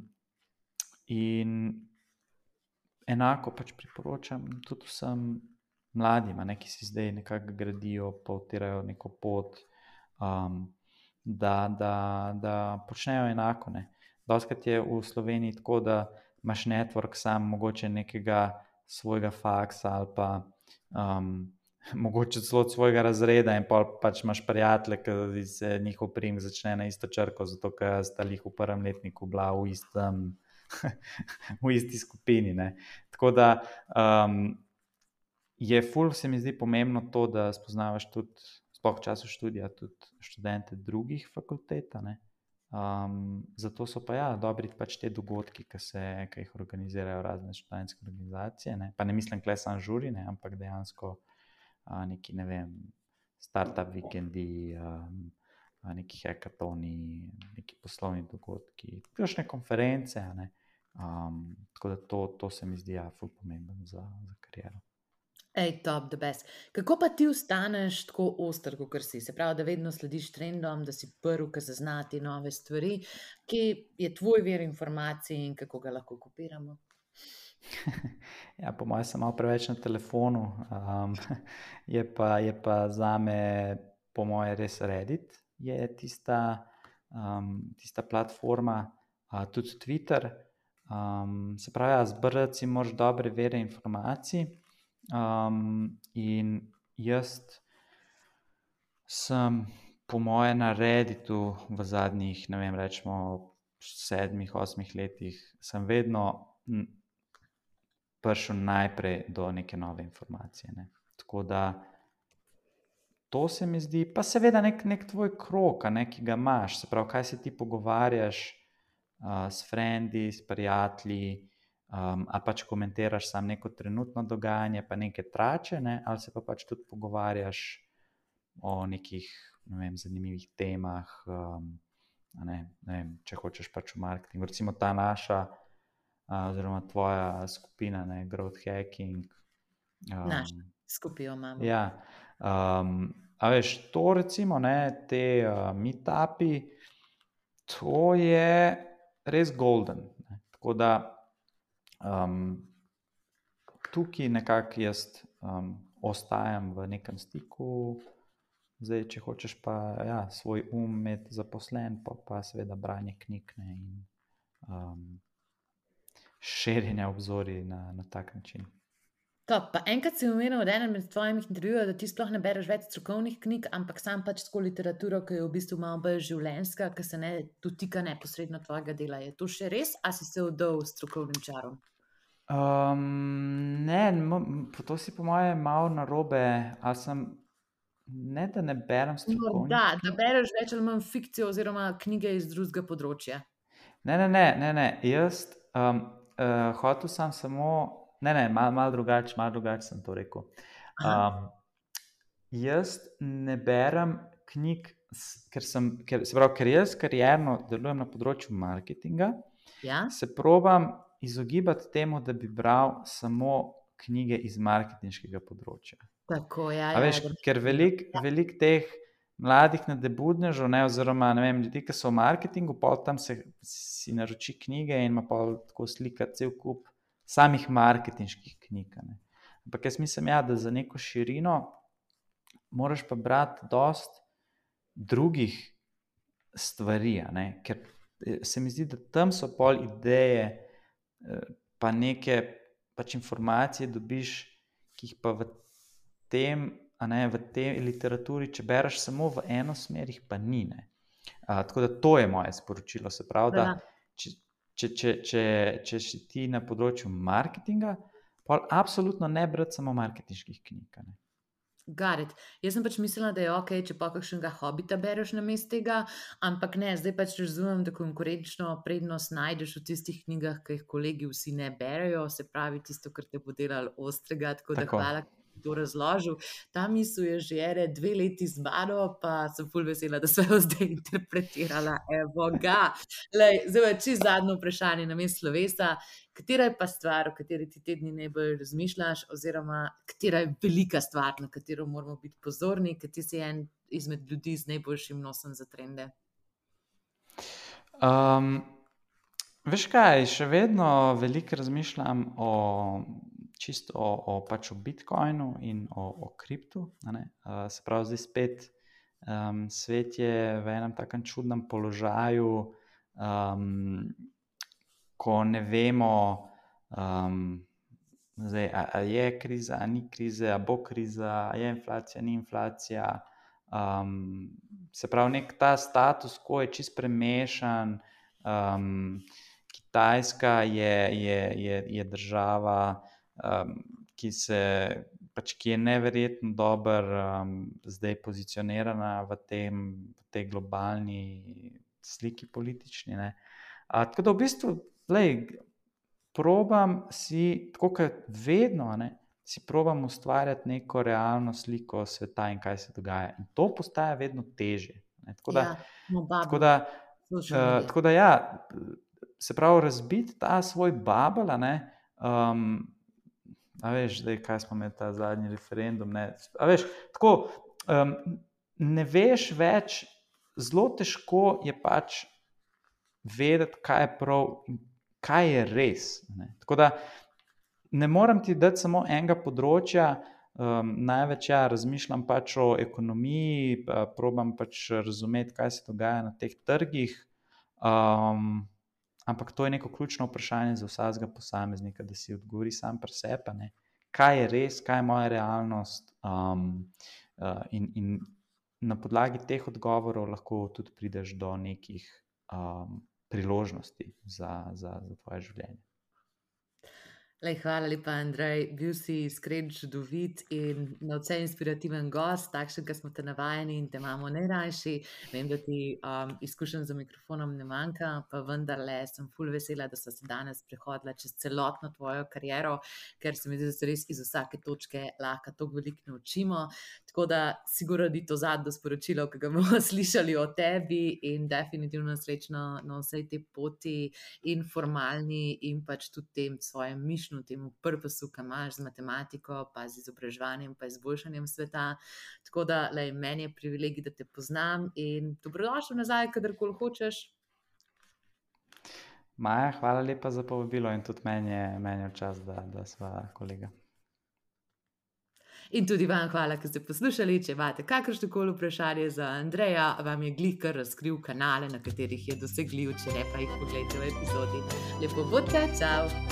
in enako pač priporočam tudi vsem mladim, ne, ki si zdaj nekako gradijo, pa utirajo neko pot, um, Da, da, da počnejo enako. Ne. Dostakrat je v Sloveniji tako, da imaš network sam mogoče nekega svojega faksa ali pa um, mogoče celo od svojega razreda in pa pač imaš prijatelje, ki se njihov priimek začne na isto črko, zato ker sta jih v prvem letniku bila v, istem, v isti skupini. Ne. Tako da um, je ful, se mi zdi pomembno to, da spoznavaš tudi sploh v času študija tudi študente drugih fakultet. Um, zato so pa ja, dobri pač te dogodki, ki, se, ki jih organizirajo razne študentske organizacije. Ne? Pa ne mislim kle sam žuri, ne? Ampak dejansko uh, neki, ne vem, startup vikendi, um, neki hackathoni, neki poslovni dogodki, kakšne konference. Ne? Um, tako da to, to se mi zdi ja, ful pomemben za, za kariero.
Ej, top, the best. Kako pa ti ostaneš tako oster, kot si? Se pravi, da vedno slediš trendom, da si prvi, ki zaznati nove stvari. Kje je tvoj vir informacij in kako ga lahko kopiramo?
Ja, po mojem sem malo preveč na telefonu. Um, je, pa, je pa zame, po mojem, res Reddit je tista, um, tista platforma, uh, tudi Twitter. Um, se pravi, ja, zbrati si moraš dobre vere informacij. Um, in jaz sem po moje na Redditu v zadnjih, ne vem, rečemo sedmih, osmih letih, sem vedno prišel najprej do neke nove informacije. Ne. Tako da to se mi zdi, pa seveda nek, nek tvoj krog, ne, ki ga imaš, se pravi, kaj se ti pogovarjaš uh, s frendi, s prijatelji, Um, a pač komentiraš samo neko trenutno dogajanje, pa neke trače, ne? Ali se pa pač tudi pogovarjaš o nekih, ne vem, zanimivih temah, um, ne, ne vem, če hočeš pač v marketingu. Recimo ta naša, uh, oziroma tvoja skupina, ne, growth hacking.
Um, Naš skupijo imamo.
Ja, um, a veš, to recimo, ne, te uh, meetupi, to je res golden. Ne? Tako da Um, tukaj nekako jaz um, ostajam v nekem stiku, zdaj, če hočeš pa ja, svoj um imeti zaposlen, pa, pa seveda branje knjig ne, in um, širjenje obzorij na, na tak način.
Top, pa enkrat si omenil v enem med tvojih intervjujev, da ti sploh ne bereš več strokovnih knjig, ampak sam pač tako literaturo, ki je v bistvu malo bolj življenjska, ki se ne dotika neposredno tvojega dela. Je to še res, a si se vdal strokovnim čarom?
Um, ne, to si po moje malo narobe, ali sem, ne da ne berem strokovnih.
No, da, da bereš več ali manj fikcijo oziroma knjige iz drugega področja.
Ne, ne, ne, ne, ne. Jaz um, uh, hotel sem samo, ne, ne, malo mal drugače, malo drugače sem to rekel. Um, jaz ne berem knjig, ker sem, ker, se pravi, ker jaz karierno delujem na področju marketinga,
ja?
Se probam izogibati temu, da bi bral samo knjige iz marketinškega področja.
Tako, ja,
A veš,
ja,
ker veliko ja. velik teh mladih nadebudnežev, ne, oziroma ne vem, ljudi, ki so v marketingu, pa tam se si naroči knjige in ima pa tako slika cel kup samih marketinških knjig. Ne. Ampak jaz mislim, ja, da za neko širino moraš pa brati dost drugih stvari, ne, ker se mi zdi, da tam so pol ideje, pa neke pač informacije dobiš, ki jih pa v tem, a ne, v tej literaturi, če bereš samo v eno smer, jih pa ni, ne. Uh, tako da to je moje sporočilo, se pravi, da če, če, če, če, če si ti na področju marketinga, pa absolutno ne brati samo marketinških knjig, ne.
Got it. Jaz sem pač mislila, da je ok, če pa kakšnega hobita bereš namesto tega, ampak ne, zdaj pač razumem, da konkurenčno prednost najdeš v tistih knjigah, ki jih kolegi vsi ne berejo, se pravi tisto, kar te bo delalo ostrega, tako, tako. Da hvala, to razložil. Ta misel je že ere dve leti z mano, pa sem ful vesela, da sem jo zdaj interpretirala. Evo ga. Lej, zdaj, čisto zadnje vprašanje namesto slovesa. Katera je pa stvar, o kateri ti te dni najbolj razmišljaš, oziroma katera je velika stvar, na katero moramo biti pozorni, ker ti si en izmed ljudi z najboljšim nosom za trende?
Um, veš kaj, še vedno veliko razmišljam o čisto o, o, pač o Bitcoinu in o, o kriptu. Uh, se pravi, zdaj spet um, svet je v enem takem čudnem položaju, um, ko ne vemo, um, zdaj, a, a je kriza, a ni krize, a bo kriza, a je inflacija, ni inflacija. Um, se pravi, nek ta status quo je čist premešan. Um, Kitajska je, je, je, je država, um, ki, se, pač, ki je neverjetno dobro um, zdaj pozicionirana v, tem, v tej globalni sliki politični. Ne? A, tako da v bistvu, lej, probam si, tako kot vedno, ne, si probam ustvarjati neko realno sliko sveta in kaj se dogaja. In to postaja vedno težje. Ne? Tako da,
Ja, no,
tako da, uh, tako da ja, se pravi, razbiti ta svoj bubble, a ne, um, a veš, zdaj, kaj smo imeli ta zadnji referendum, ne, a veš, tako, um, ne veš več, zelo težko je pač vedeti, kaj je prav in kaj je res, ne. Tako da ne morem ti dati samo enega področja, um, največ ja, razmišljam pač o ekonomiji, pa probam pač razumeti, kaj se dogaja na teh trgih, um, ampak to je neko ključno vprašanje za vsakega posameznika, da si odgovori sam pri sebi, ne. Kaj je res, kaj je moja realnost, um, uh, in, in na podlagi teh odgovorov lahko tudi prideš do nekih um, priložnosti za, za, za tvoje življenje.
Lej, hvala lepa, Andrej. Bil si iskren, čudovit in nadvse inspirativen gost, takšen, ki smo te navajeni in te imamo najrajši. Vem, da ti um, izkušenj za mikrofonom ne manjka, pa vendarle sem ful vesela, da so se danes prehodila čez celotno tvojo kariero, ker se mi zdi, da se res iz vsake točke lahko toliko veliko naučimo. Tako da sigurno ni to zadnje sporočilo, ki ga bomo slišali o tebi, in definitivno srečno na vsej tej poti in formalni in pač tudi tem svojem mišljenju, temu purposu, ki imaš z matematiko, pa z izobraževanjem, pa izboljšanjem sveta. Tako da, lej, meni je privilegij, da te poznam in dobrodošel nazaj, kadarkoli hočeš.
Maja, hvala lepa za povabilo in tudi meni je, meni je čas, da, da sva kolega.
In tudi vam hvala, ker ste poslušali. Če imate kakršnokoli vprašanje za Andreja, vam je glih kar razkril kanale, na katerih je dosegljiv, če ne pa jih pogledajte v epizodi. Lepo bodite, čau!